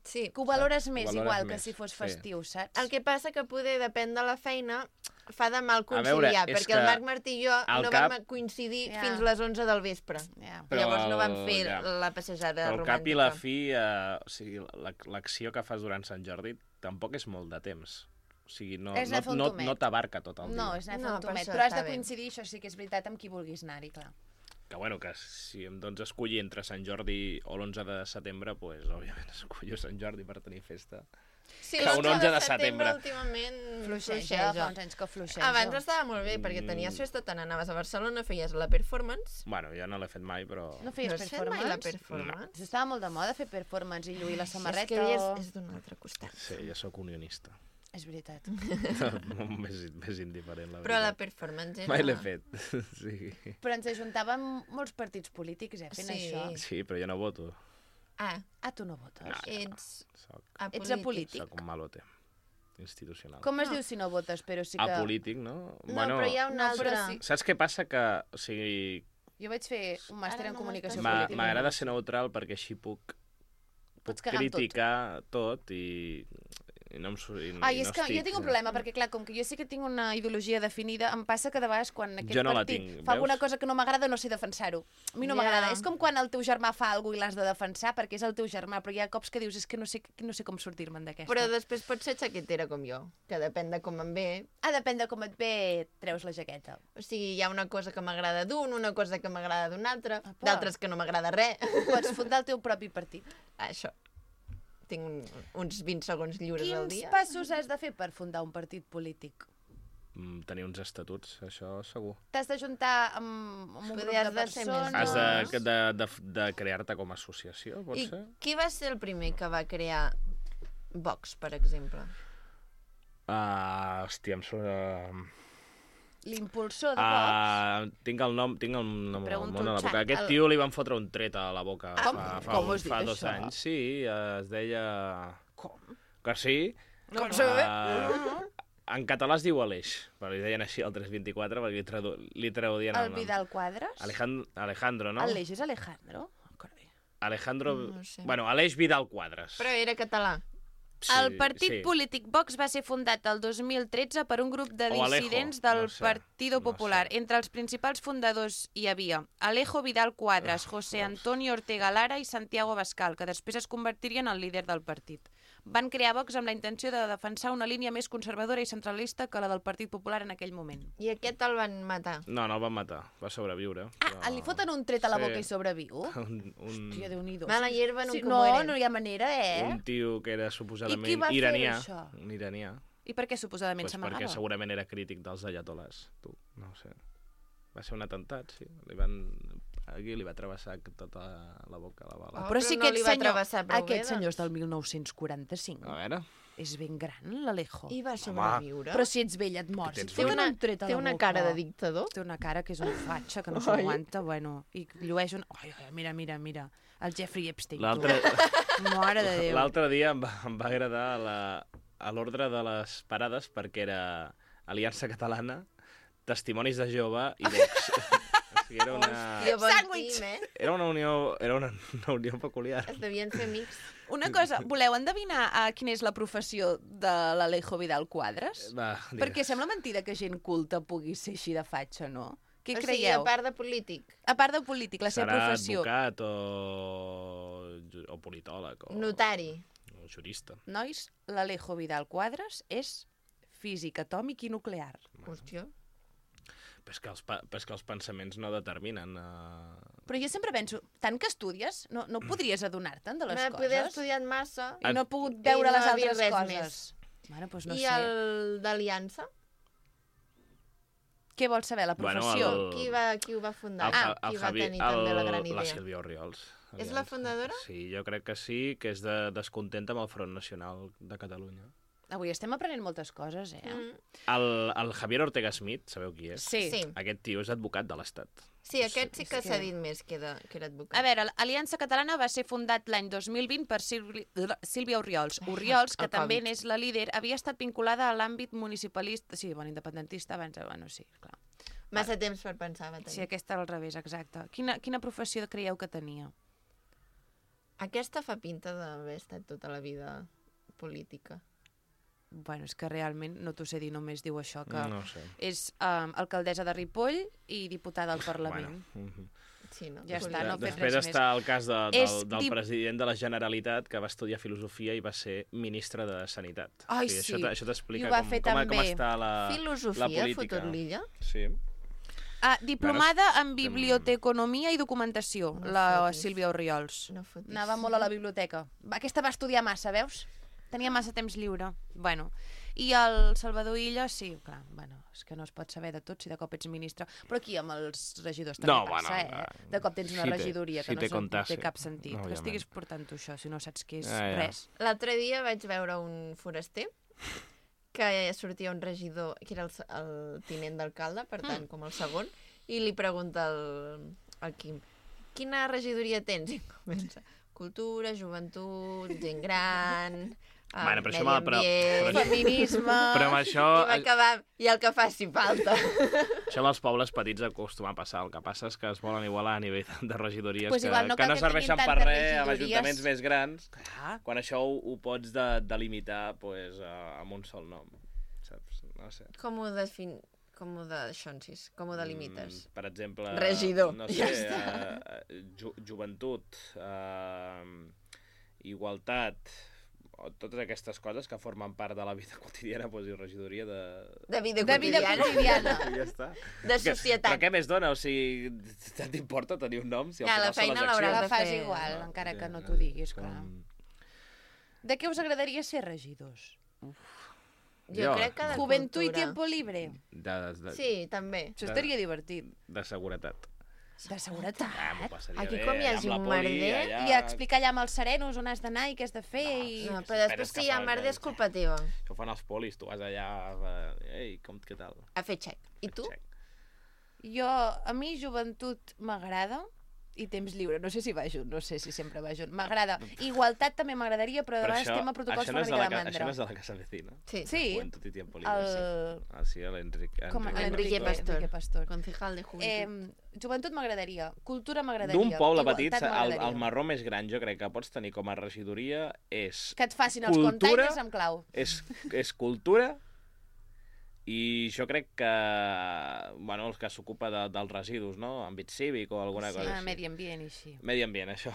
Sí. Que ho valores Saps? Ho més, valores igual, que més, si fos sí. festiu, saps? El que passa que poder, depèn de la feina, fa de mal A veure, conciliar, és perquè que el Marc Martí i jo al no cap- vam coincidir Ja. fins les onze del vespre. Ja. Però Llavors no vam el- fer ja. la passejada Però al romàntica. cap i la fi, eh, o sigui, la- l'acció que fas durant Sant Jordi tampoc és molt de temps. O sigui, no, És anar a fer no, un no, tomet. no t'abarca tot el dia. No, és anar a fer No, un per tomet. això Però has està de bé. coincidir, això sí que és veritat, amb qui vulguis anar-hi, clar. Que bueno, que si em dones a escollir entre Sant Jordi o l'onze de setembre, doncs, pues, òbviament, escollo Sant Jordi per tenir festa. Sí, que l'onze un onze de setembre setembre. últimament Fluixeja, fa uns anys que fluixeja. Abans estava molt bé, perquè tenies Mm. festa, te n'anaves a Barcelona, feies la performance. Bueno, jo no l'he fet mai, però... No feies No has fet mai la performance? performance? Estava molt de moda fer performance i lluir la samarreta. És que ell o- és, és d'un altre costat. Sí, jo sóc unionista. És veritat. més, més indiferent, la Però la veritat. performance era... Mai l'he fet, sí. Però ens ajuntàvem molts partits polítics, eh, fent Sí. això. Sí, però jo no voto. Ah, Ah, tu no votes? No. ets Soc, Ets apolític. soc un malote institucional. Com es No. diu si no votes, però sí que... Apolític, no? No, però hi ha un no, altre. però sí. Saps què passa? Que, o sigui, Jo vaig fer un màster Ara en no comunicació m'estàs política. m'agrada ser neutral perquè així puc, puc Pots cagar amb tot. criticar tot, i, I no em su- i, Ai, i és no que estic... jo tinc un problema, perquè clar, com que jo sí que tinc una ideologia definida, em passa que de vegades quan aquest Jo no la partit tinc, fa alguna veus? cosa que no m'agrada no sé defensar-ho. A mi no Ja. m'agrada. És com quan el teu germà fa alguna cosa i l'has de defensar perquè és el teu germà, però hi ha cops que dius és que no sé, no sé com sortir-me'n d'aquesta. Però després pots ser xaquetera com jo, que depèn de com em ve. Ah, depèn de com et ve, treus la jaqueta. O sigui, hi ha una cosa que m'agrada d'un, una cosa que m'agrada d'un altre, Apa. d'altres que no m'agrada res. Pots fundar el teu propi partit. Això. Tinc un, uns vint segons lliures al Quins dia. passos has de fer per fundar un partit polític? Mm, tenir uns estatuts, això segur. T'has de juntar amb, amb un grup Podries de de ser més persones? Has Doncs- de, de, de, de crear-te com a associació, pot I ser? qui va ser el primer que va crear Vox, per exemple? Uh, hòstia, em surt... L'impulsor de Vox? Uh, tinc el nom, tinc el nom al Pregunto món a la al boca. xat. Aquest El- tio li van fotre un tret a la boca Com? fa, fa, Com has dit fa dos això? anys. Sí, uh, es deia... Com? Que sí. Com Uh, en català es diu Aleix, però li deien així al tres vint-i-quatre perquè li, tradu li traduïen El el nom. Vidal Quadras? Alejandro, Alejandro, no? Aleix és Alejandro? Carai. Alejandro... No sé. Bueno, Aleix Vidal Quadras. Però era català. Sí, El partit sí. polític Vox va ser fundat el dos mil tretze per un grup de O Alejo, dissidents del no sé, Partido no Popular. sé. Entre els principals fundadors hi havia Alejo Vidal Quadras, Ah, José veus. Antonio Ortega Lara i Santiago Abascal, que després es convertirien en líder del partit. Van crear Vox amb la intenció de defensar una línia més conservadora i centralista que la del Partit Popular en aquell moment. I aquest el van matar. No, no el van matar, va sobreviure. Ah, li foten un tret a la Sí. boca i sobreviu? Un, un, Hòstia, Déu-n'hi-do. Mala hierba nunca Sí, no, muere. no hi ha manera, eh? un tio que era suposadament I qui va fer iranià. això? Un iranià. I per què suposadament Pues s'amagava? perquè segurament era crític dels ayatolás. Tu, no ho sé. Va ser un atemptat, sí. Li van... Aquí li va travessar tota la boca, la bala. Oh, Però però si no aquest li va senyor, travessar prou aquest bé, senyor és doncs. del mil nou-cents quaranta-cinc. A veure... És ben gran, l'Alejo. I va sobreviure. Però si ets vell et mors. tens Si et foten una, un tret a té la una boca. cara de dictador. Té una cara que és un fatxa, que no Ai. s'aguanta, bueno, i llueix un... Ai, ai, mira, mira, mira, el Jeffrey Epstein. tu. L'altre Mare de Déu. l'altre dia em va, em va agradar la, a l'ordre de les parades perquè era Aliança Catalana, Testimonis de Jove i Vox. O sigui, era una, Hòstia, bon Sàndwich. team, eh? era una unió, era una, una unió peculiar. Es devien fer amics. Una cosa, voleu endevinar uh, quina és la professió de l'Alejo Vidal Quadras? Va, digues. Perquè sembla mentida que gent culta pugui ser així de fatxa, no? Què o sigui, creieu? a part de polític. A part de polític, la seva Serà professió. advocat o, o politòleg o, Notari. o jurista. Nois, l'Alejo Vidal Quadras és físic atòmic i nuclear. Hòstia. Però és que els, pa- però és que els pensaments no determinen... Uh... Però jo sempre penso, tant que estudies, no, no podries adonar-te'n de les M'he poder coses? estudiat massa. I no he pogut I veure no les ha vist altres res coses. més. Bueno, doncs no I sé. el d'Aliança? Què vols saber, la Bueno, professió? el- Qui, va, qui ho va fundar? El, ah, el, qui el va Javi, tenir també la el- gran La idea? Sílvia Orriols. És la fundadora? Sí, jo crec que sí, que és de, descontenta amb el Front Nacional de Catalunya. Avui estem aprenent moltes coses, eh? Mm. El, el Javier Ortega Smith, sabeu qui és? Sí. Sí. Aquest tio és advocat de l'Estat. Sí, aquest sí que s'ha dit més que, de, que era advocat. A veure, l'Aliança Catalana va ser fundat l'any dos mil vint per Sílvi- Sílvia Orriols. Orriols, que el també Covid. n'és la líder, havia estat vinculada a l'àmbit municipalista... Sí, bueno, independentista abans... de- Bueno, sí, clar. Massa temps per pensar va tenir. Sí, aquesta era al revés, exacte. Quina, quina professió creieu que tenia? Aquesta fa pinta d'haver estat tota la vida política. Bueno, és que realment, no t'ho sé dir, només diu això, que No ho sé. és um, alcaldessa de Ripoll i diputada al Parlament. Bueno, mhm. Sí, no? Ja està, Política. no ha fet Després res està el cas de, És del, del dip- president de la Generalitat que va estudiar filosofia i va ser ministre de Sanitat. Ai, O sigui, sí. Això, t- això t'explica I ho va com, fer com, com també. està la, la Filosofia, política. fotut l'illa? Sí. Ah, diplomada en estem- biblioteconomia i documentació, No la fotis. Sílvia Orriols. No fotis. Anava molt a la biblioteca. Va, Aquesta va estudiar massa, veus? Tenia massa temps lliure. Bueno, i el Salvador Illa, sí, clar, bueno, és que no es pot saber de tot si de cop ets ministre. Però aquí amb els regidors també No, passa, bueno, eh? De cop tens una si te- regidoria si que no te sé- contase. té cap sentit. No, que òbviament. estiguis portant tu això, si no saps què és Ja, ja. res. L'altre dia vaig veure un foraster que sortia un regidor, que era el, se- el tinent d'alcalde, per tant, Mm. com el segon, i li pregunta al, al Quim, quina regidoria tens? I comença, cultura, joventut, gent gran, Ah, Bueno, però això medi m'ha- però- ambient, però- Feminisme... Però amb això, I va acabar, i el que faci falta. això amb els pobles petits acostuma a passar. El que passa és que es volen igualar a nivell de regidories Pues que, igual no que cal no que serveixen tinguin per tantes res amb regidories. ajuntaments més grans, Clar. quan això ho, ho pots de, delimitar pues, uh, amb un sol nom. Saps? No sé. Com ho defin... Com ho de... Xonsis, com ho delimites? Mm, per exemple... Regidor. No sé, Ja uh, ju joventut, uh, igualtat, o totes aquestes coses que formen part de la vida quotidiana, doncs, i regidoria de... De vida De vida quotidiana. quotidiana. I ja està. De Que- societat. Però què més dona? O sigui, tant t'importa tenir un nom? Si al Ja, la final són feina les l'hauràs La accions? de fas fer. igual, No, encara sí, que no no t'ho sé, diguis, com- clar. De què us agradaria ser regidors? Jo crec que de Juventud i cultura. tiempo libre. De, de, Sí, també. Això estaria divertit. de seguretat. De seguretat. Ah, m'ho passaria Aquí bé, com hi allà hagi amb la un poli, merder, allà... I explicar allà amb els serenos on has d'anar i què has de fer. i... No, Sí, però esperes després que si hi ha fa- merder és culpa teva. Això ho fan els polis, tu vas allà... eh, Ei, com, què tal? A fer xec. I tu? Check. Jo, a mi joventut m'agrada i temps lliure. No sé si va junt, no sé si sempre va junt. M'agrada. Igualtat també m'agradaria, però de Però vegades això, tema protocols això, fa no una és de mica la, de ca- això mandra. no és de la Casa Vecina. Sí. Sí, Juventud i Tiempo Libre. el... Ah, sí, l'Enric. Com Enrique. Enrique Pastor. Enrique Pastor. Concejal de Juventud. Eh, joventut m'agradaria, cultura m'agradaria. D'un poble igualtat petit, el, m'agradaria. el marró més gran, jo crec que pots tenir com a regidoria és... Que et facin els cultura, containers amb clau. És, és cultura i jo crec que... Bueno, els que s'ocupa de, dels residus, no? Àmbit cívic o alguna Sí, cosa ah, així. medi ambient i així. Medi ambient, això.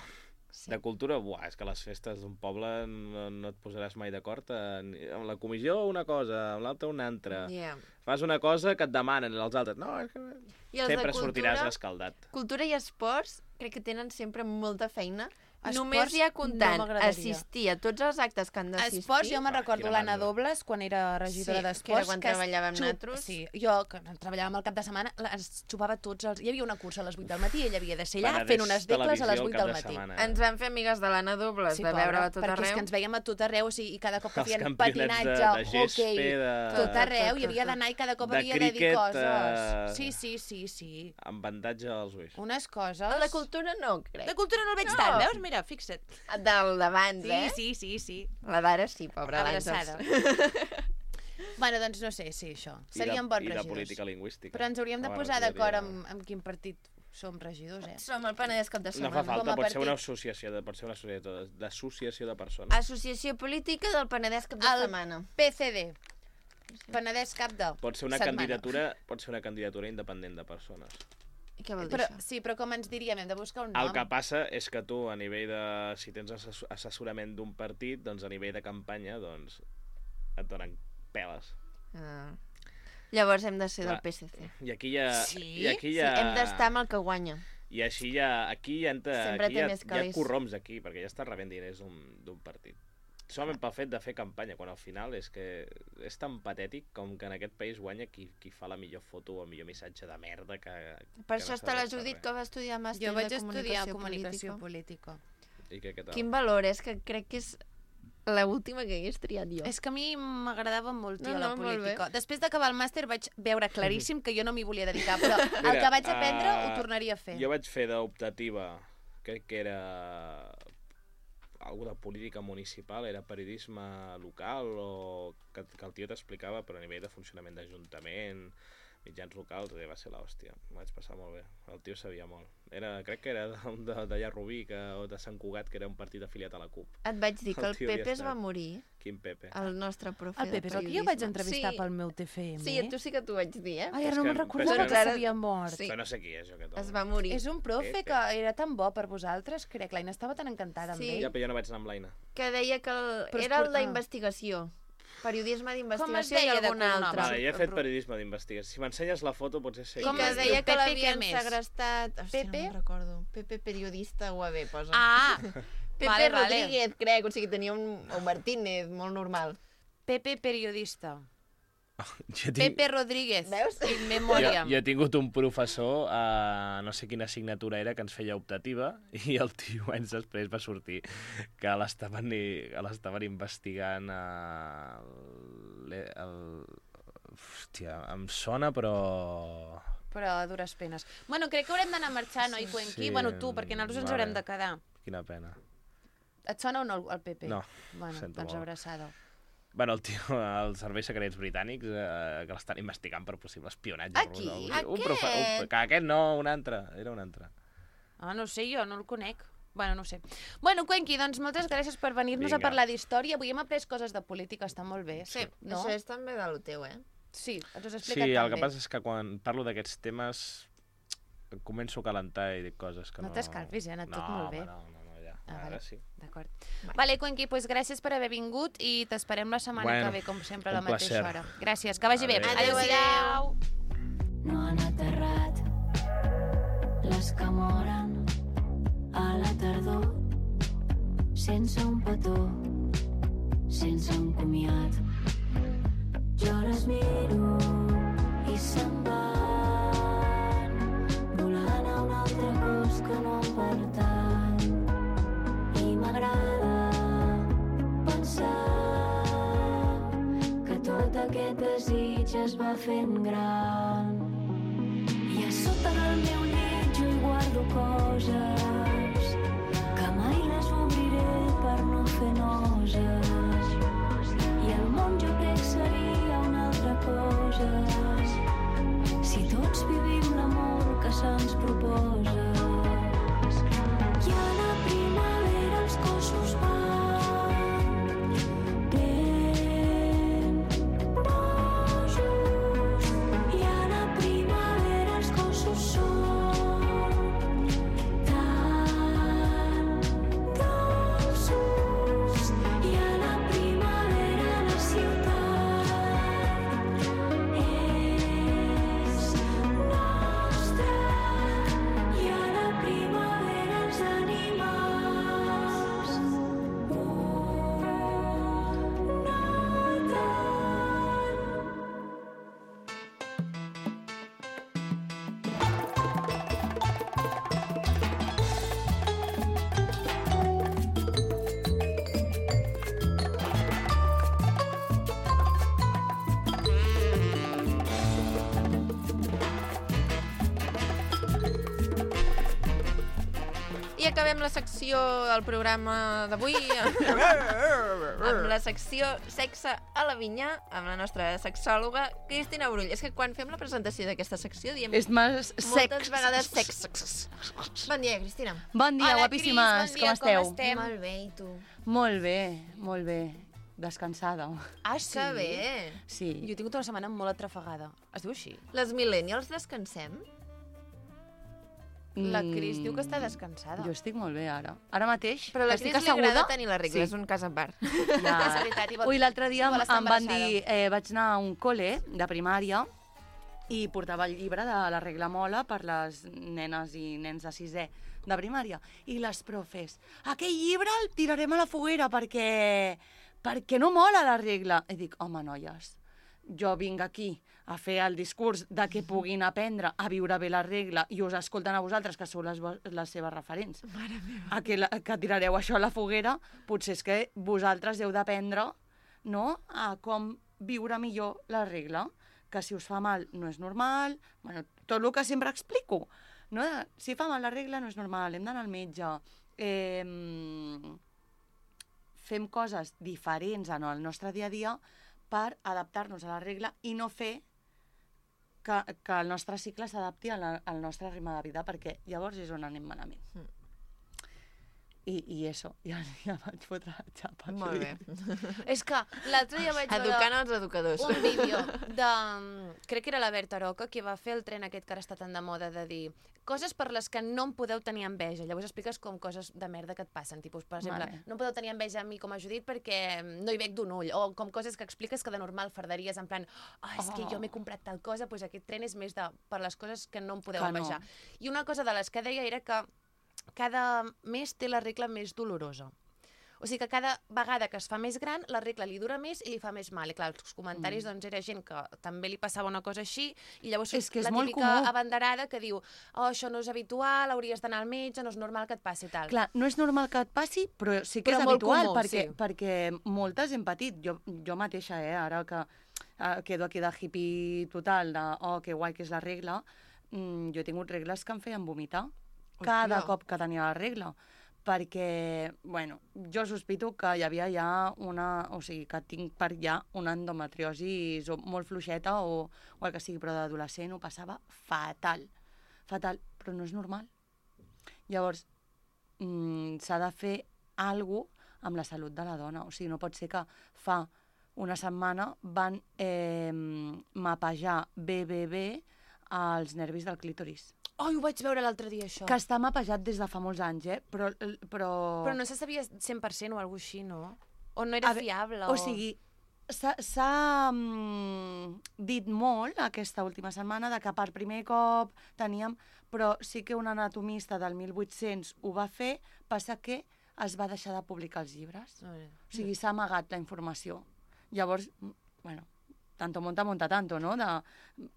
Sí. De cultura, buah, és que les festes d'un poble no, no et posaràs mai d'acord. En, amb la comissió una cosa, amb l'altra una altra. Yeah. Fas una cosa que et demanen, els altres... No, és que... I els Sempre de cultura, sortiràs escaldat. Cultura i esports crec que tenen sempre molta feina. Esports Només hi ha comptant no m'agradaria. assistir a tots els actes que han d'assistir. Esports, jo me'n Ah, recordo quina l'Anna mandra. Dobles, quan era regidora Sí, d'esports. que era quan es treballàvem xup- nosaltres. Sí, jo, que treballàvem el cap de setmana, es xupava tots els... Hi havia una cursa a les vuit del matí, ella havia de ser allà Penedès fent unes decles a les Televisió vuit al cap del de matí. setmana, eh? Ens vam fer amigues de l'Anna Dobles, Sí, de pobra, veure-la tot perquè és arreu. que ens veiem a tot arreu, o sigui, i cada cop que Els feien campionats de- patinatge, de gespa, hoquei, de- tot Tot, arreu, tot, hi havia tot. d'anar i cada cop De havia de dir criquet, coses. eh, Sí, sí, sí, sí. Amb avantatge als ulls. Unes coses... El de cultura no, crec. De cultura no el veig No. tant, veus? Mira, fixa't. Del d'abans, Sí, eh? sí, sí, sí. La d'ara sí, pobra Abraçada. l'Àngels. Bueno, doncs no sé, sí, això. I de- Serien bons I de regidors. política lingüística. Però ens hauríem de Home, posar regidoria- d'acord amb, amb quin partit som regidors, eh? Som el Penedès cap de No setmana. fa falta, com a pot ser una partit. associació, de, pot ser una associació de- d'associació de persones. Associació Política del Penedès cap de El setmana. P C D. Penedès cap de Pot ser una setmana. candidatura, pot ser una candidatura independent de persones. I què vol dir Però, això? sí, però com ens diríem? Hem de buscar un nom. El que passa és que tu, a nivell de... Si tens assess- assessorament d'un partit, doncs a nivell de campanya, doncs et donen peles. Ah. Llavors hem de ser del Clar. P S C. I aquí hi ha... Sí? I aquí hi Sí, ha... hem d'estar amb el que guanya. I així hi ha... Aquí hi ha, Sempre aquí hi té ha, més hi ha calés. corroms aquí, perquè ja està rebent diners d'un d'un partit. Solament pel fet de fer campanya, quan al final és que és tan patètic com que en aquest país guanya qui, qui fa la millor foto o el millor missatge de merda que... Per que això no està la serveix per Judit res. que va estudiar màster Jo vaig de estudiar comunicació, comunicació política. política. I què, què tal? Quin valor és que crec que és l'última que hagués triat jo. És que a mi m'agradava molt, tia, No, la no, molt política. bé. Després d'acabar el màster vaig veure claríssim que jo no m'hi volia dedicar, però el Mira, que vaig aprendre eh, ho tornaria a fer. Jo vaig fer d'optativa, crec que era algo de política municipal, era periodisme local o que, que el tio t'explicava, però a nivell de funcionament d'Ajuntament, mitjans locals, eh, va ser l'hòstia. M'ho vaig passar molt bé. El tio sabia molt. Era, crec que era d'allà de, Rubí que, o de Sant Cugat, que era un partit afiliat a la CUP. Et vaig dir que El el tio havia Pepe es va estat. morir, Quin Pepe? el nostre profe El Pepe és el que jo vaig entrevistar sí. pel meu T F M. Sí, a tu sí que t'ho vaig dir, eh? Ai, ara És no que- me'n recordava però que és que- s'havia mort. Sí. Però no sé qui és, jo, aquest home. Es va morir. És un profe Pepe. que era tan bo per vosaltres, crec. L'Aina estava tan encantada amb Sí. ell. Ja, però jo no vaig anar amb l'Aina. Que deia que el... Però és era per- el ah. d'investigació. Periodisme Com es d'investigació i deia de algun cognom? altre. Vale, jo he fet però- periodisme d'investigació. Si m'ensenyes la foto, potser sé I Com que es és. diu? deia que Pepe, l'havien què més? segrestat... Hòstia, Pepe? no me'n recordo. Pepe periodista U A B, posa. Ah! Pepe vale, vale. Rodríguez, crec. O sigui, tenia un... O Martínez, molt normal. Pepe periodista. Jo tinc, Pepe Rodríguez. Veus? In jo, memòria. jo he tingut un professor, uh, no sé quina assignatura era, que ens feia optativa, i el tio anys després va sortir que l'estaven i- que l'estaven investigant uh, el, el... Hòstia, em sona, però... Però a dures penes. Bueno, crec que haurem d'anar marxant, oi, Cuenqui? Sí, Bueno, tu, perquè nosaltres ens vale. haurem de quedar. Quina pena. Et sona o no el P P? No, Bueno, sento doncs molt. abraçada. Bueno, el tio, els serveis secrets britànics eh, que l'estan investigant per possible espionatge. Aquí? Un, Aquest? profe- un, que aquest no, un altre. Era un altre. Ah, no sé, jo no el conec. Bueno, no ho sé. Bueno, Cuenqui, doncs moltes gràcies per venir-nos a Vinga. parlar d'història. Avui hem après coses de política, està molt bé. Sí, no? això és també del teu, eh? Sí, ens ho has Sí, explicat el tan que bé. passa és que quan parlo d'aquests temes em començo a calentar i dic coses que No no... t'escalfis, eh? Ha anat tot molt bé. No, no, no, ja. Ah, Ara vale. sí. D'acord. Vale, Cuenqui, doncs gràcies per haver vingut i t'esperem la setmana Bueno, que ve, com sempre, a la un mateixa placer. hora. Gràcies, que vagi bé. Adéu. Adéu-siau. No han aterrat les que moren a la tardor sense un petó, sense un comiat. Jo les miro i se'n van volant a un altre cos que no em pertany i m'agrada pensar que tot aquest desig es va fent gran. I a sota del meu llit jo hi guardo coses que mai les obriré per no fer noses. I el món jo crec seria una altra cosa si tots vivim l'amor que se'ns proposa. I a la primavera els cossos van ben rojos i a la primavera els cossos són tan dolços i a la primavera la ciutat és nostra i a la primavera els animals ho noten. I acabem la secció del programa d'avui amb la secció Sexe a la vinya amb la nostra sexòloga Cristina Brull. És que quan fem la presentació d'aquesta secció diem És més moltes sex. vegades sex. Bon dia, Cristina. Bon dia, Hola, guapíssimes. Cris, bon dia, com esteu? com estem? Molt bé, i tu? Molt bé, molt bé. Descansada. Ah, sí? Que bé. Sí. Jo he tingut una setmana molt atrafegada. Es diu així? Les millennials descansem? La Cris diu que està descansada. Jo estic molt bé ara. Ara mateix, Però la que estic Cris li asseguda... agrada tenir la regla, Sí. és un cas a part. Ja. És veritat, i vol- Ui, l'altre dia vol em, estar em van embarassada. dir... Eh, vaig anar a un col·le de primària i portava el llibre de la regla mola per les nenes i nens de sisè de primària. I les profes, aquell llibre el tirarem a la foguera perquè, perquè no mola la regla. I dic, home, noies, jo vinc aquí a fer el discurs de que puguin aprendre a viure bé la regla i us escolten a vosaltres, que sou les, vo- les seves referents. Mare meva. A que, la, que tirareu això a la foguera, potser és que vosaltres heu d'aprendre, no?, a com viure millor la regla, que si us fa mal no és normal, bueno, tot el que sempre explico, no? Si fa mal la regla no és normal, hem d'anar al metge, eh, fem coses diferents en el nostre dia a dia per adaptar-nos a la regla i no fer que, que el nostre cicle s'adapti al, al nostre ritme de vida, perquè llavors és on anem malament. Mm. I, i això, ja, ja vaig fotre la xapa. Molt bé. És que l'altre dia vaig Educant veure els educadors. un vídeo de... Crec que era la Berta Roca, que va fer el tren aquest que ara està tan de moda de dir coses per les que no em podeu tenir enveja. Llavors expliques com coses de merda que et passen. Tipus, per exemple, Vale. no em podeu tenir enveja a mi com a Judit perquè no hi veig d'un ull. O com coses que expliques que de normal fardaries en plan oh, és que Oh. jo m'he comprat tal cosa, doncs aquest tren és més de, per les coses que no em podeu Que no. envejar. I una cosa de les que deia era que cada mes té la regla més dolorosa. O sigui que cada vegada que es fa més gran, la regla li dura més i li fa més mal. I clar, els comentaris, mm. doncs, era gent que també li passava una cosa així, i llavors És que és la molt típica comú. abanderada que diu oh, això no és habitual, hauries d'anar al metge, no és normal que et passi tal. Clar, no és normal que et passi, però sí que Però és molt habitual, comú, perquè, sí. perquè moltes hem patit. Jo, jo mateixa, eh, ara que eh, quedo aquí de hippie total, de oh, que guai que és la regla, mm, jo he tingut regles que em feien vomitar cada Hòstia. cop que tenia la regla, perquè, bueno, jo sospito que hi havia ja una... O sigui, que tinc per ja una endometriosi molt fluixeta o, o el que sigui, però d'adolescent ho passava fatal. Fatal, però no és normal. Llavors, mm, s'ha de fer alguna cosa amb la salut de la dona. O sigui, no pot ser que fa una setmana van eh, mapejar bé, bé, bé els nervis del clítoris. Oh, ho vaig veure l'altre dia, això. Que està mapejat des de fa molts anys, eh? Però... Però, però no se sabia cent per cent o alguna cosa així, no? O no era veure, fiable? O, o sigui, s'ha mm, dit molt aquesta última setmana de que per primer cop teníem... Però sí que un anatomista del mil vuit-cents ho va fer, passa que es va deixar de publicar els llibres. Oh, o sigui, s'ha amagat la informació. Llavors, bueno, tanto monta, monta tanto, no? De,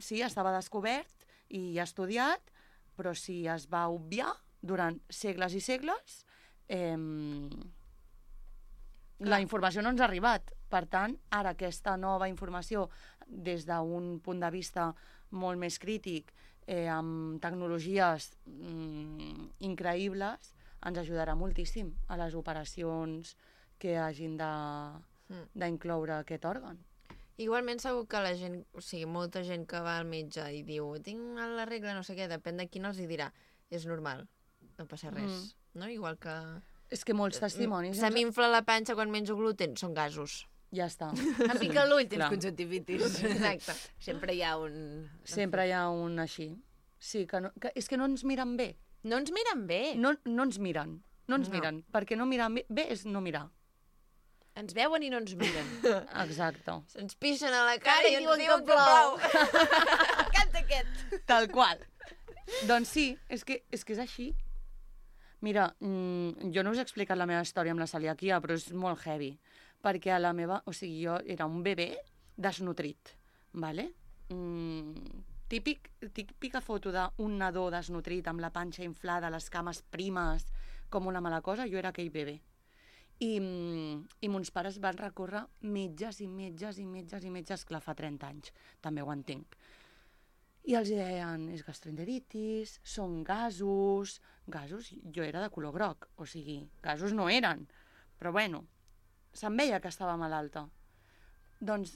sí, estava descobert i estudiat, però si es va obviar durant segles i segles, eh, la informació no ens ha arribat. Per tant, ara aquesta nova informació, des d'un punt de vista molt més crític, eh, amb tecnologies mm, increïbles, ens ajudarà moltíssim a les operacions que hagin d'incloure aquest òrgan. Igualment segur que la gent, o sigui, molta gent que va al metge i diu tinc la regla, no sé què, depèn de quin els hi dirà. És normal, no passa res, mm. no? Igual que... És que molts testimonis... Se m'infla la panxa quan menjo gluten, són gasos. Ja està. Em pica l'ull, tens conjuntivitis. Exacte. Sempre hi ha un... Sempre hi ha un així. Sí, que, no, que és que no ens miren bé. No ens miren bé. No, no ens miren, no ens No. miren. Perquè no mirar bé, bé és no mirar. Ens veuen i no ens miren. Exacte. Se'ns pixen a la cara i ens diuen diuen que que plou. Canta aquest. Tal qual. Doncs sí, és que és, que és així. Mira, mmm, jo no us he explicat la meva història amb la celiaquia, però és molt heavy. Perquè a la meva... O sigui, jo era un bebè desnutrit, vale? Mm, típic, típica foto d'un nadó desnutrit amb la panxa inflada, les cames primes, com una mala cosa, jo era aquell bebè. I, i mons pares van recórrer metges i metges i metges i metges, clar, fa trenta anys, també ho entenc. I els deien, és gastroenteritis, són gasos... Gasos, jo era de color groc, o sigui, gasos no eren, però bueno, se'm veia que estava malalta. Doncs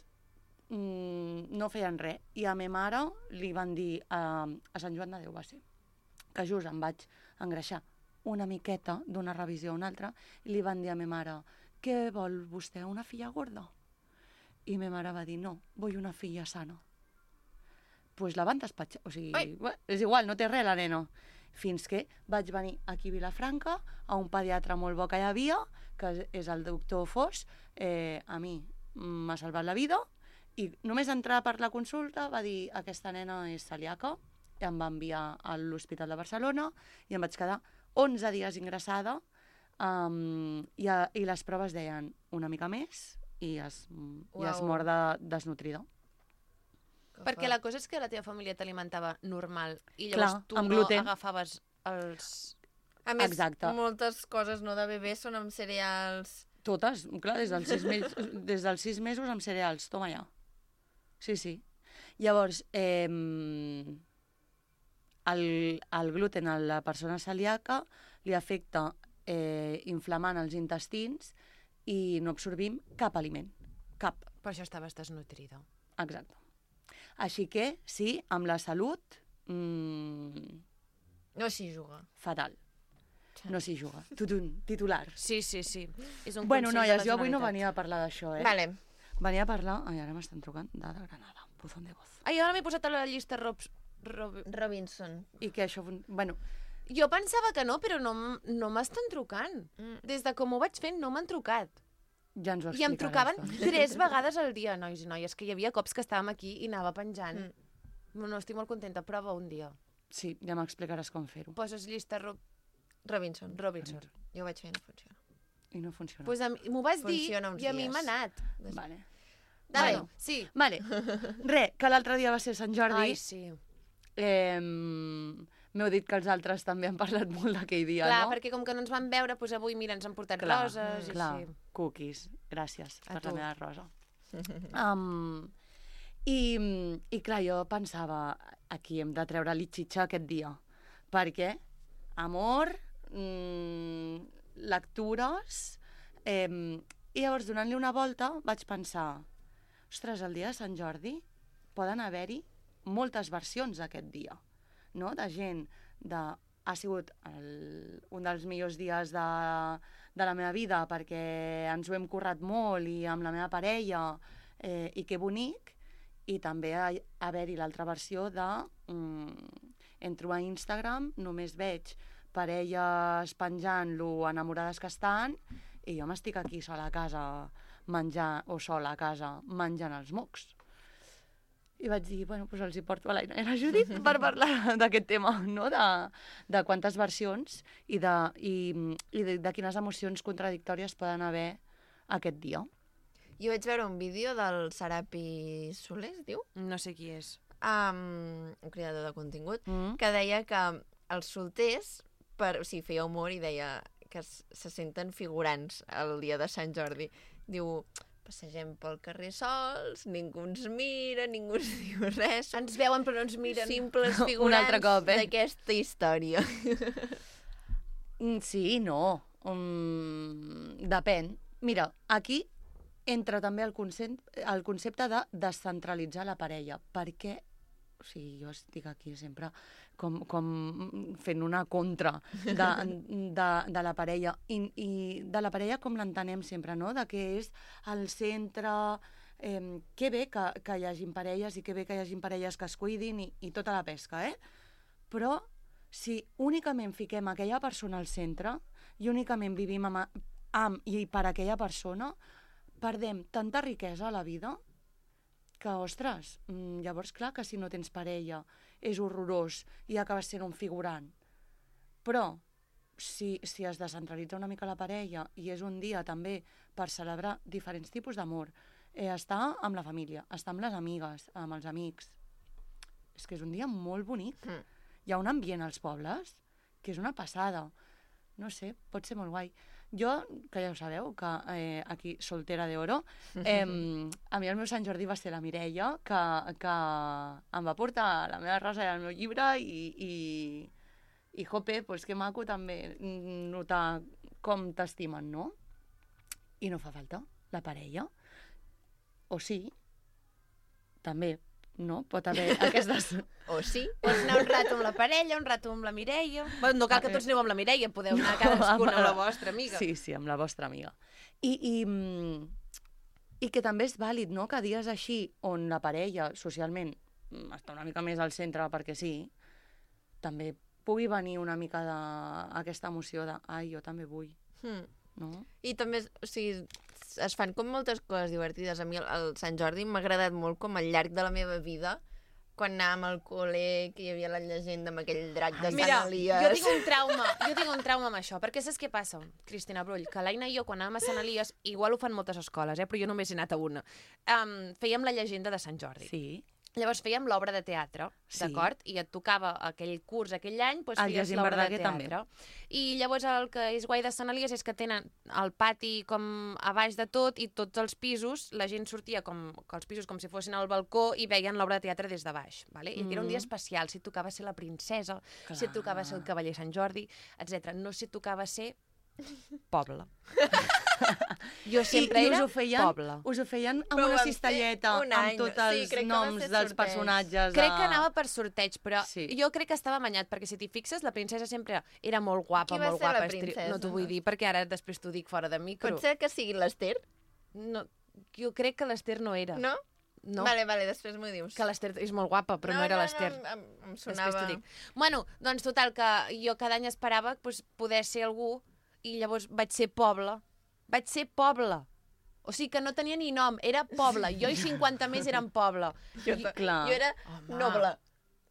mmm, no feien res. I a ma mare li van dir, a, a Sant Joan de Déu va ser, que just em vaig engreixar una miqueta d'una revisió a una altra, i li van dir a ma mare, què vol vostè, una filla gorda? I ma mare va dir, no, vull una filla sana. Doncs pues la van despatxar, o sigui, bé, és igual, no té res la nena. Fins que vaig venir aquí a Vilafranca, a un pediatre molt bo que hi havia, que és el doctor Fos, eh, a mi m'ha salvat la vida, i només entrar per la consulta va dir, aquesta nena és celíaca, i em va enviar a l'Hospital de Barcelona, i em vaig quedar onze dies ingressada, um, i, a, i les proves deien una mica més, i es, i es mor de, desnutrida. Perquè la cosa és que la teva família t'alimentava normal i Clar, llavors tu amb no gluten. agafaves els... A més, Exacte. moltes coses no de bebè són amb cereals. Totes, clar, des dels sis, mes, des dels sis mesos amb cereals, toma ja. Sí, sí. Llavors, eh, el, el gluten a la persona celíaca li afecta eh, inflamant els intestins i no absorbim cap aliment, cap. Per això estaves desnutrida. Exacte. Així que, sí, amb la salut... Mmm, no s'hi juga. Fatal. No s'hi juga. Tutun, titular. Sí, sí, sí. És un bueno, consell de noies, la jo avui no Generalitat. venia a parlar d'això, eh? Vale. Venia a parlar... Ai, ara m'estan trucant de Granada. Buzón de voz. Ai, ara m'he posat a la llista Robs... Rob... Robinson. I que això... Bueno, Jo pensava que no, però no, m- no m'estan trucant. Mm. Des de com ho vaig fent no m'han trucat. ja ens ho I em explicaràs, trucaven doncs. tres vegades al dia, nois i noies, que hi havia cops que estàvem aquí i anava penjant. Mm. No, no, estic molt contenta. Prova un dia. Sí, ja m'explicaràs com fer-ho. Poses llista Rob... Robinson. Robinson. Jo ho vaig fer i no funciona. I no funciona. Pues a mi- m'ho vas dir Funciona uns i a mi dies. m'ha anat. Vale. Dale, Bueno. sí. Vale. Re, que l'altre dia va ser Sant Jordi. Ai, sí. Eh, M'heu dit que els altres també han parlat molt d'aquell dia, Clar, no? perquè com que no ens van veure, doncs avui, mira, ens han portat Clar, roses i clar, així. cookies. Gràcies A per tu. la meva rosa. um, i, I clar, jo pensava, aquí hem de treure l'itxitxa aquest dia, perquè amor, mm, lectures, eh, i llavors, donant-li una volta, vaig pensar, ostres, el dia de Sant Jordi poden haver-hi moltes versions d'aquest dia, no? De gent de... Ha sigut el, un dels millors dies de, de la meva vida perquè ens ho hem currat molt i amb la meva parella, eh, i que bonic, i també haver-hi l'altra versió de... Mm, entro a Instagram, només veig parelles penjant-lo enamorades que estan i jo m'estic aquí sola a casa menjant, o sola a casa menjant els mocs. I vaig dir, bueno, doncs els hi porto a l'Aina i la Judit per parlar d'aquest tema, no? De, de quantes versions i, de, i, i de, de quines emocions contradictòries poden haver aquest dia. Jo vaig veure un vídeo del Serapi Soler, es diu? No sé qui és. Um, un creador de contingut, Mm. que deia que els solters, per, o sigui, feia humor i deia que es, se senten figurants el dia de Sant Jordi. Diu, passegem pel carrer sols, ningú ens mira, ningú ens diu res. Ens veuen però no ens miren. Simples Un figurants altre cop, eh? d'aquesta història. Mm, Sí, no. Um, depèn. Mira, aquí entra també el concepte, el concepte de descentralitzar la parella, perquè o sigui, jo estic aquí sempre com, com fent una contra de, de, de la parella, I, i de la parella com l'entenem sempre, no? De que és el centre... Eh, que bé que, que hi hagin parelles i que bé que hi hagin parelles que es cuidin i, i tota la pesca, eh? Però si únicament fiquem aquella persona al centre i únicament vivim amb, amb i per aquella persona, perdem tanta riquesa a la vida que, ostres, llavors clar que si no tens parella és horrorós i acabes sent un figurant. Però si, si es descentralitza una mica la parella i és un dia també per celebrar diferents tipus d'amor, eh, estar amb la família, estar amb les amigues, amb els amics, és que és un dia molt bonic. Mm. Hi ha un ambient als pobles que és una passada. No sé, pot ser molt guai. Jo, que ja ho sabeu, que eh, aquí, soltera d'oro, eh, a mi el meu Sant Jordi va ser la Mireia, que, que em va portar la meva rosa i el meu llibre i, i, i jope, pues que maco també notar com t'estimen, no? I no fa falta la parella. O sí, també, no? Pot haver aquestes... O sí. Pots anar un rato amb la parella, un rato amb la Mireia... Bueno, no cal que tots aneu amb la Mireia, podeu anar cadascuna amb la vostra amiga. Sí, sí, amb la vostra amiga. I, i, i que també és vàlid, no?, que dies així on la parella socialment està una mica més al centre perquè sí, també pugui venir una mica d'aquesta emoció de ai, jo també vull, Mm. no? I també, o sigui, es fan com moltes coses divertides. A mi el, el Sant Jordi m'ha agradat molt com al llarg de la meva vida, quan anàvem al col·le, que hi havia la llegenda amb aquell drac de Mira, Sant Elies. jo tinc un trauma, jo tinc un trauma amb això, perquè saps què passa, Cristina Brull? Que l'Aina i jo, quan anàvem a Sant Elies, igual ho fan moltes escoles, eh, però jo només he anat a una, um, fèiem la llegenda de Sant Jordi. Sí. Llavors fèiem l'obra de teatre, Sí. d'acord? I et tocava aquell curs, aquell any, doncs El feies Jacint l'obra de Verdaguer també. teatre. I llavors el que és guai de Sant Elies és que tenen el pati com a baix de tot i tots els pisos, la gent sortia com que els pisos com si fossin al balcó i veien l'obra de teatre des de baix. Vale? I era un dia Mm. especial, si et tocava ser la princesa, Clar. si et tocava ser el cavaller Sant Jordi, etcètera. No si et tocava ser poble. Jo sempre I, i era us ho feien, poble. us ho feien amb Però ho una vam fer cistelleta un amb any. tots Sí, els crec que va noms ser dels sorteig. personatges. Crec de- que anava per sorteig, però Sí. jo crec que estava amanyat, perquè si t'hi fixes, la princesa sempre era molt guapa, Qui va molt ser la guapa. estri- princesa? No t'ho vull dir, perquè ara després t'ho dic fora de micro. Pot ser que sigui l'Ester? No, jo crec que l'Ester no era. No? No, Vale, vale, després m'ho dius. que l'Ester és molt guapa, però no, no era l'Ester. No, em, em Després sonava... t'ho dic. Bueno, doncs total, que jo cada any esperava doncs, poder ser algú i llavors vaig ser poble. Vaig ser poble. O sigui que no tenia ni nom, era poble. Jo i cinquanta més eren poble. Jo, I- ta- clar. jo era Home. noble.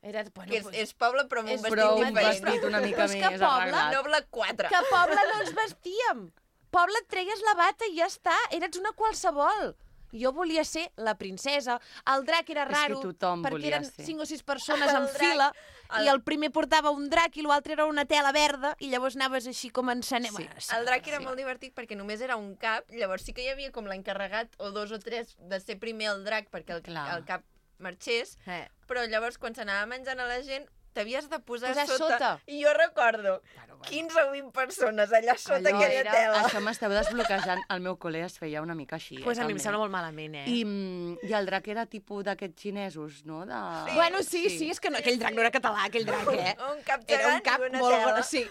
Era, bueno, Que és, doncs, és poble, però amb un és vestit Però un diferent. vestit una mica Però és que més poble, arreglat. Noble quatre. que poble no ens vestíem. Poble et treies la bata i ja està. Eres una qualsevol. Jo volia ser la princesa. El drac era És que raro, tothom perquè volia eren ser. cinc o sis persones El en drac, fila, el- i el primer portava un drac i l'altre era una tela verda, i llavors anaves així com encenent. Sí. El drac era molt divertit perquè només era un cap, llavors sí que hi havia com l'encarregat o dos o tres de ser primer el drac perquè el, Clar. el cap marxés, Eh. però llavors quan s'anava menjant a la gent t'havies de posar, Posar sota. sota. I jo recordo quinze o vint persones allà sota Allò aquella era- tela. Això m'esteu desbloquejant. Al meu col·le es feia una mica així. Pues eh, a mi em també. sembla molt malament, eh? I, mm, I el drac era tipus d'aquests xinesos, no? De... Sí. Bueno, sí, sí, és que no, aquell drac no era català, aquell drac, eh? Un cap Era un gegant cap i una molt... tela. bo- Sí,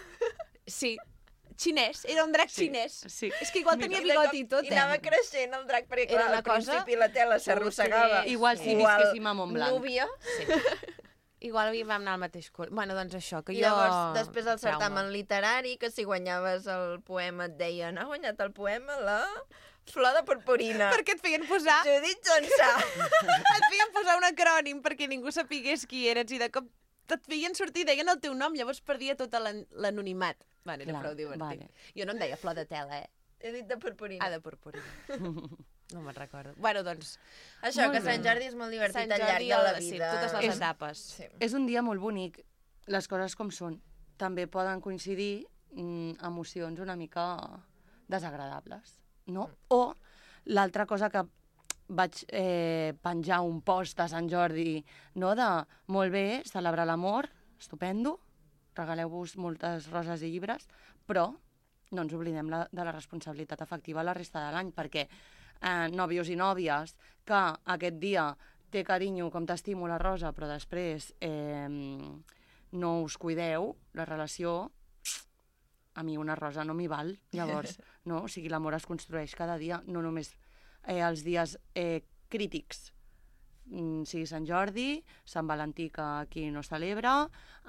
sí. Xinès, era un drac Sí, xinès. sí. És que igual tenia I de bigot cop- i tot, I eh? anava creixent el drac, perquè Era clar, una al cosa- principi la tela s'arrossegava. Sí. Igual si O al visquéssim a Montblanc. Núbia. Igual havíem anar al mateix col·le. Bueno, doncs això, que I jo... llavors, després del Trauma. certamen literari, que si guanyaves el poema et deien, ha guanyat el poema la flor de purpurina. Perquè et feien posar... Judit Jonsà. et feien posar un acrònim perquè ningú sapigués qui eres i de cop et feien sortir i deien el teu nom, llavors perdia tot l'an- l'anonimat. Bueno, era Clar, prou divertit. vale. Jo no em deia flor de tela, eh? He dit de purpurina. Ah, de purpurina. No me'n recordo. Bueno, doncs... Això, Molt que bé. Sant Jordi és molt divertit Sant al llarg Jordi, de la el- sí, vida. totes les És- etapes. Sí. És un dia molt bonic, les coses com són. També poden coincidir mm, emocions una mica desagradables, no? O l'altra cosa que vaig eh, penjar un post a Sant Jordi, no? De, molt bé, celebrar l'amor, estupendo, regaleu-vos moltes roses i llibres, però no ens oblidem la, de la responsabilitat afectiva la resta de l'any, perquè eh, nòvios i nòvies que aquest dia té carinyo com t'estimo la rosa, però després eh, no us cuideu, la relació, a mi una rosa no m'hi val, llavors, no? O sigui, l'amor es construeix cada dia, no només eh, els dies eh, crítics, mm, sigui Sant Jordi, Sant Valentí, que aquí no es celebra,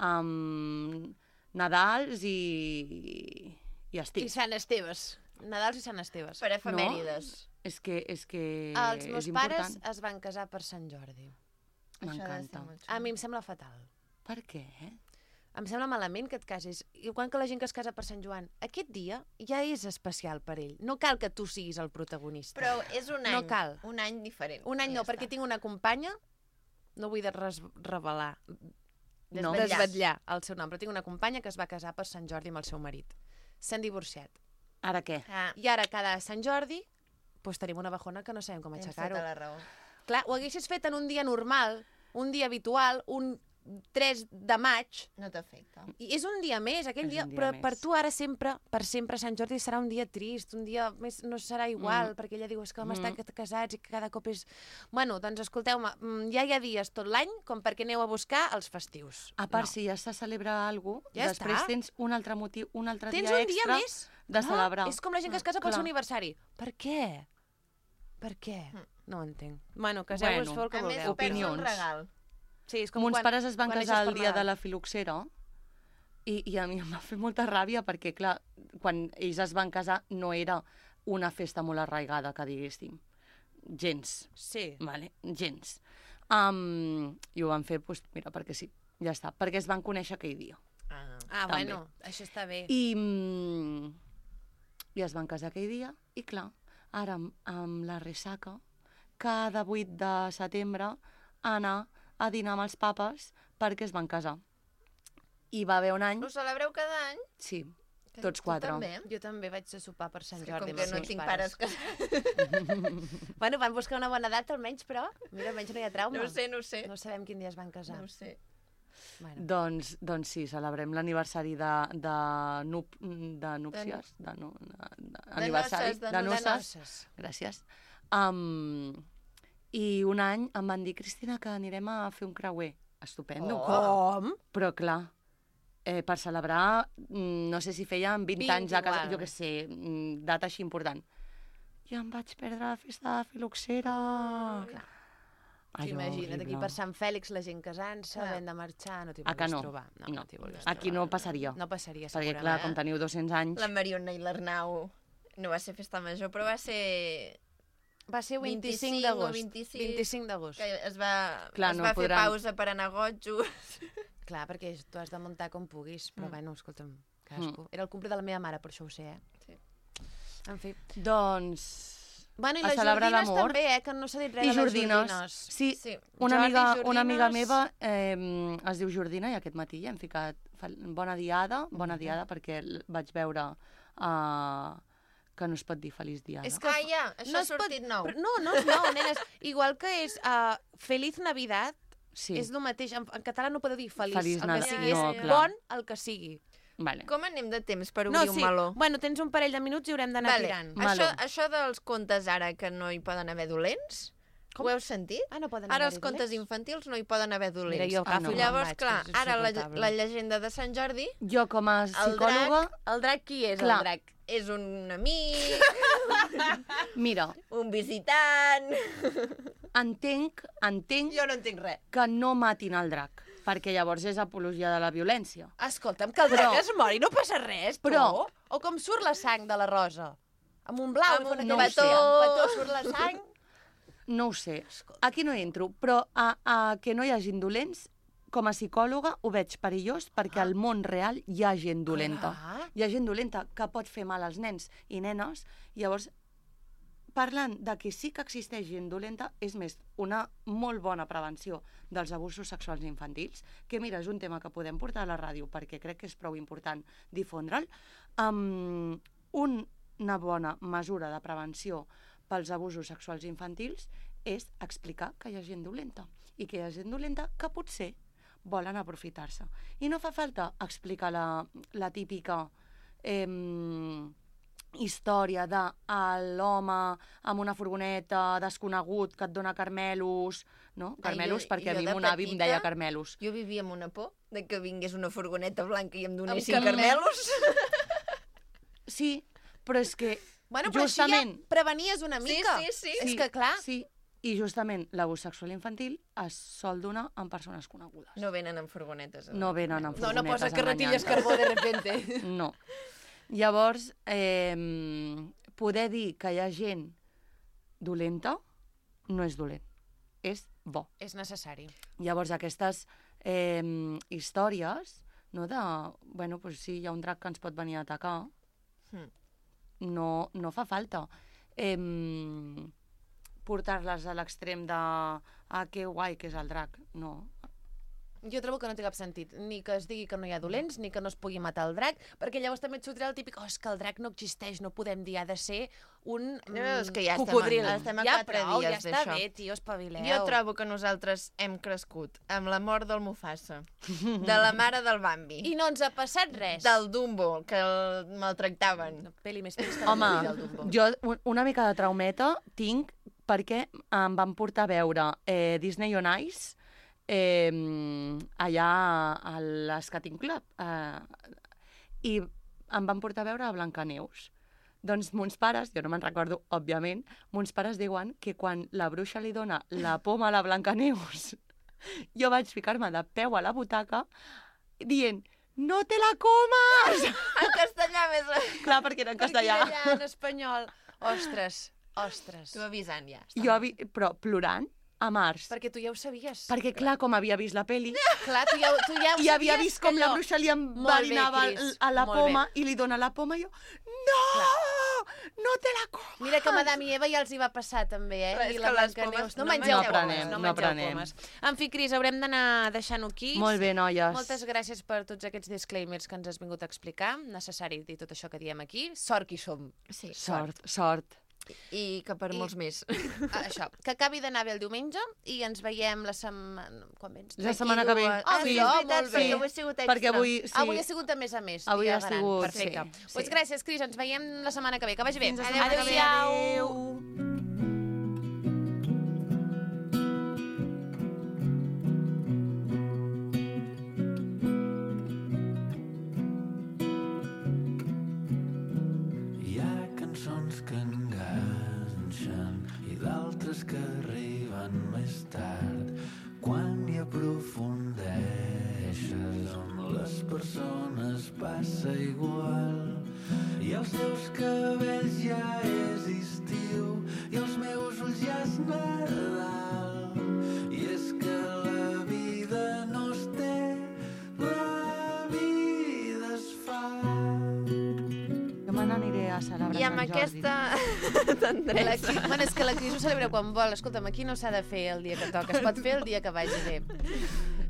um, Nadals i, i estiu. I Sant Esteves. Nadals i Sant Esteves. Per efemèrides. És que, és que Els meus és pares important. es van casar per Sant Jordi. M'encanta. A mi em sembla fatal. Per què? Em sembla malament que et casis. Igual que la gent que es casa per Sant Joan. Aquest dia ja és especial per ell. No cal que tu siguis el protagonista. Però és un any. No cal. Un any diferent. Un any Ja no, perquè està. tinc una companya, no vull de res revelar, No. Desvetllar. desvetllar el seu nom, però tinc una companya que es va casar per Sant Jordi amb el seu marit. S'han divorciat. Ara què? Ah, I ara, cada Sant Jordi, doncs tenim una bajona que no sabem com tens aixecar-ho. tota la raó. Clar, ho haguessis fet en un dia normal, un dia habitual, un tres de maig, No t'afecta. i és un dia més, aquell És dia, un dia però més. per tu ara sempre, per sempre, Sant Jordi serà un dia trist, un dia més no serà igual, Mm. perquè ella diu, és que vam Mm. estar casats i que cada cop és... Bueno, doncs escolteu-me, mm, ja hi ha dies tot l'any com perquè aneu a buscar els festius. A part, No. si ja se celebra alguna cosa, Ja després està. tens un altre motiu, un altre Tens dia un extra dia més de celebrar. És com la gent que es casa pel Clar. seu aniversari. Per què? Per què? No ho entenc. Bueno, caseu-vos, Bueno, feu el que A més, vulgueu. perds un Opinions. regal. Sí, és com Mons quan, pares es van quan casar neixes el per dia de Nadal. la filoxera i, i a mi em va fer molta ràbia perquè, clar, quan ells es van casar no era una festa molt arraigada, que diguéssim. Gens. Sí. Vale? Gens. Um, I ho van fer, doncs, mira, perquè sí, ja està. Perquè es van conèixer aquell dia. Ah. Ah, També. bueno, això està bé. I, mm, I es van casar aquell dia, i clar, ara amb, amb la ressaca, cada vuit de setembre anar a dinar amb els papes perquè es van casar. I va haver un any... Ho celebreu cada any? Sí, Que tots tu quatre. també? Jo també vaig a sopar per Sant És que Jordi. com amb que els no meus tinc pares casats. Bueno, van buscar una bona data almenys, però mira, almenys no hi ha trauma. No ho sé, no ho sé. No sabem quin dia es van casar. No ho sé. Bueno. Doncs, doncs sí, celebrem l'aniversari de, de, nup, de núpcies, de, nu, de, de, aniversari, noces, de de nu- de noces. noces. Gràcies. Um, I un any em van dir, Cristina, que anirem a fer un creuer. Estupendo. Com? Però clar, eh, per celebrar, mm, no sé si feien vint, vint anys a casa, igual. jo què sé, mm, data així important. I em vaig perdre la festa de filoxera. Clar. Allò Imagina't, aquí horrible. per Sant Fèlix la gent casant-se, Clar. havent de marxar, no t'hi Ah, que volgués no? trobar. No, No. no t'hi volgués Aquí trobar. no passaria. No passaria, Perquè, segurament. clar, com teniu dos-cents anys... La Mariona i l'Arnau no va ser festa major, però va ser... Va ser vint-i-cinc vint-i-cinc d'agost. o vint-i-sis. vint-cinc d'agost. Que es va, Clar, es no va fer podran- pausa per anar a gotjos. Clar, perquè tu has de muntar com puguis, però Mm. bueno, escolta'm, cadascú. Era el cumple de la meva mare, per això ho sé, eh? Sí. En fi. Doncs... Bueno, i a les celebrar jordines l'amor. també, eh? Que no s'ha dit res I de les jordines. jordines. Sí, Sí. una, Jordi, amiga, jordines. una amiga meva eh, es diu Jordina i aquest matí ja hem ficat fa- bona diada, bona Mhm. diada perquè l- vaig veure uh, que no es pot dir feliç diada. És que Ah, ja, això no ha es pot- sortit nou. Però no, no és nou, nenes. Igual que és uh, Feliz Navidad, Sí. És el mateix. En, en català no podeu dir feliç, Feliç el nada. que sigui. No, és clar. bon el que sigui. Vale. Com anem de temps per obrir No, un sí. meló? Bueno, tens un parell de minuts i haurem d'anar Vale. tirant. Això, això dels contes ara que no hi poden haver dolents, Com? ho heu sentit? Ah, no poden Ara haver-hi els contes dolents? infantils no hi poden haver dolents. Mira, jo Ah, agafo no. i me'n Llavors, vaig, clar, que és ara la, insuportable. la llegenda de Sant Jordi, Jo, com a el psicòloga... drac, el drac qui és Clar. el drac? És un amic, Mira, un visitant... entenc, entenc Jo no entenc res. que no matin el drac, perquè llavors és apologia de la violència. Escolta'm, que el drac Però- es mori, no passa res, tu. Però- O com surt la sang de la rosa? Amb un blau, Amb i fan un aquell- petó. amb un petó surt la sang. No ho sé, aquí no hi entro, però a, a que no hi hagin dolents, com a psicòloga ho veig perillós perquè al món real hi ha gent dolenta. Clar. Hi ha gent dolenta que pot fer mal als nens i nenes, i llavors, parlant de que sí que existeix gent dolenta, és més, una molt bona prevenció dels abusos sexuals infantils, que mira, és un tema que podem portar a la ràdio perquè crec que és prou important difondre'l. Um, una bona mesura de prevenció pels abusos sexuals infantils és explicar que hi ha gent dolenta i que hi ha gent dolenta que potser volen aprofitar-se. I no fa falta explicar la, la típica eh, història de l'home amb una furgoneta desconegut que et dona carmelos, no? Carmelos, jo- perquè a jo mi de mon avi em petita- deia carmelos. Jo vivia amb una por de que vingués una furgoneta blanca i em donessin Amb carmelos. carmelos. Sí, però és que Bueno, però justament... així ja prevenies una Sí, mica. sí, sí. És que, clar, Sí, i justament l'abús sexual infantil es sol donar amb persones conegudes. No venen en furgonetes. No venen amb no, no furgonetes posa carretilles enganyant. carbó de repente. No. Llavors, eh, poder dir que hi ha gent dolenta no és dolent, és bo. És necessari. Llavors, aquestes eh, històries, no, de, bueno, pues sí, hi ha un drac que ens pot venir a atacar, Hmm. no, no fa falta eh, portar-les a l'extrem de ah, que guai que és el drac. No. Jo trobo que no té cap sentit, ni que es digui que no hi ha dolents, ni que no es pugui matar el drac, perquè llavors també et sortirà el típic, oh, és que el drac no existeix, no podem dir, ha de ser un No, és que ja estem- cocodril. estem a ja quatre prou, dies ja està d'això. bé, tio, espavileu. Jo trobo que nosaltres hem crescut amb la mort del Mufasa, de la mare del Bambi, I no ens ha passat res. del Dumbo, que el maltractaven. Peli més trista Home, del Dumbo. jo un- una mica de traumeta tinc perquè em van portar a veure eh, Disney on Ice eh, allà a l'Skating Club eh, i em van portar a veure a Blancaneus. Doncs mons pares, jo no me'n recordo, òbviament, mons pares diuen que quan la bruixa li dona la poma a la Blancaneus, jo vaig ficar-me de peu a la butaca dient no te la comes! En castellà més... Clar, perquè era en castellà. Perquè era allà en espanyol. Ostres, ostres. Tu avisant ja. Jo, avi... però plorant, a març. Perquè tu ja ho sabies. Perquè, clar, com havia vist la peli, Clar, tu ja, tu ja ho i havia sabies vist com que la allò- bruixa li Molt bé, enverinava Cris, a la molt poma bé. i li dona la poma i jo, no, no te la comes. Mira que Madame i Eva ja els hi va passar també, eh? Clar, és I que la les Blancaneus. pomes No no mengeu No pomes, prenem, no no mengeu prenem. pomes. En fi, Cris, haurem d'anar deixant-ho aquí. Molt bé, noies. Moltes gràcies per tots aquests disclaimers que ens has vingut a explicar. Necessari dir tot això que diem aquí. Sort qui som. Sí. Sort, sort. I que per I- molts més. Ah, això, que acabi d'anar bé el diumenge i ens veiem la setmana... Quan vens? La setmana que ve. Ah, sí, Sí, és veritat, molt bé. perquè avui ha sigut extra. Perquè avui, sí, Avui ha sigut a més a més. Avui dia ha gran. sigut, Perfecte. sí, sí. Pues gràcies, Cris. Ens veiem la setmana que ve. Que vagi bé. Fins la setmana que ve. Adéu-siau. Hi ha cançons que enganxen i d'altres que arriben més tard. Quan hi aprofundeixes amb les persones passa igual. I els teus cabells ja és estiu i els meus ulls ja és Nadal. I és que la vida no es té, la vida es fa. Jo me n'aniré a celebrar I amb Sant Jordi. aquesta La tendresa. Cris, bueno, és que la Cris ho celebra quan vol. Escolta'm, aquí no s'ha de fer el dia que toca. Es pot fer el dia que vagi bé.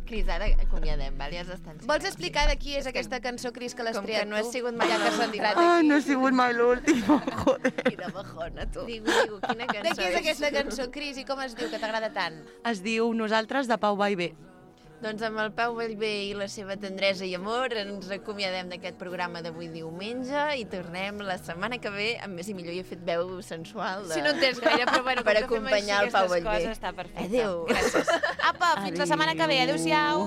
Cris, ara acomiadem, val? Ja s'estan... Vols explicar de qui és aquesta cançó, Cris, que l'has Com que triat no has tu? sigut mai Ja que s'ha l'última. entrat Ah, aquí. no he sigut mai l'última, joder. Quina bajona, tu. Digo, digo, quina cançó De qui és aquesta cançó, Cris, i com es diu, que t'agrada tant? Es diu Nosaltres, de Pau Vallvé. Doncs amb el Pau Vallvé i la seva tendresa i amor ens acomiadem d'aquest programa d'avui diumenge i tornem la setmana que ve amb més i millor. I he fet veu sensual de... Si no entens gaire, però bueno, per com que fem acompanyar així el Pau aquestes Vallvé. coses, està perfecte. Adéu. Gràcies. Apa, fins la setmana que ve. Adéu-siau.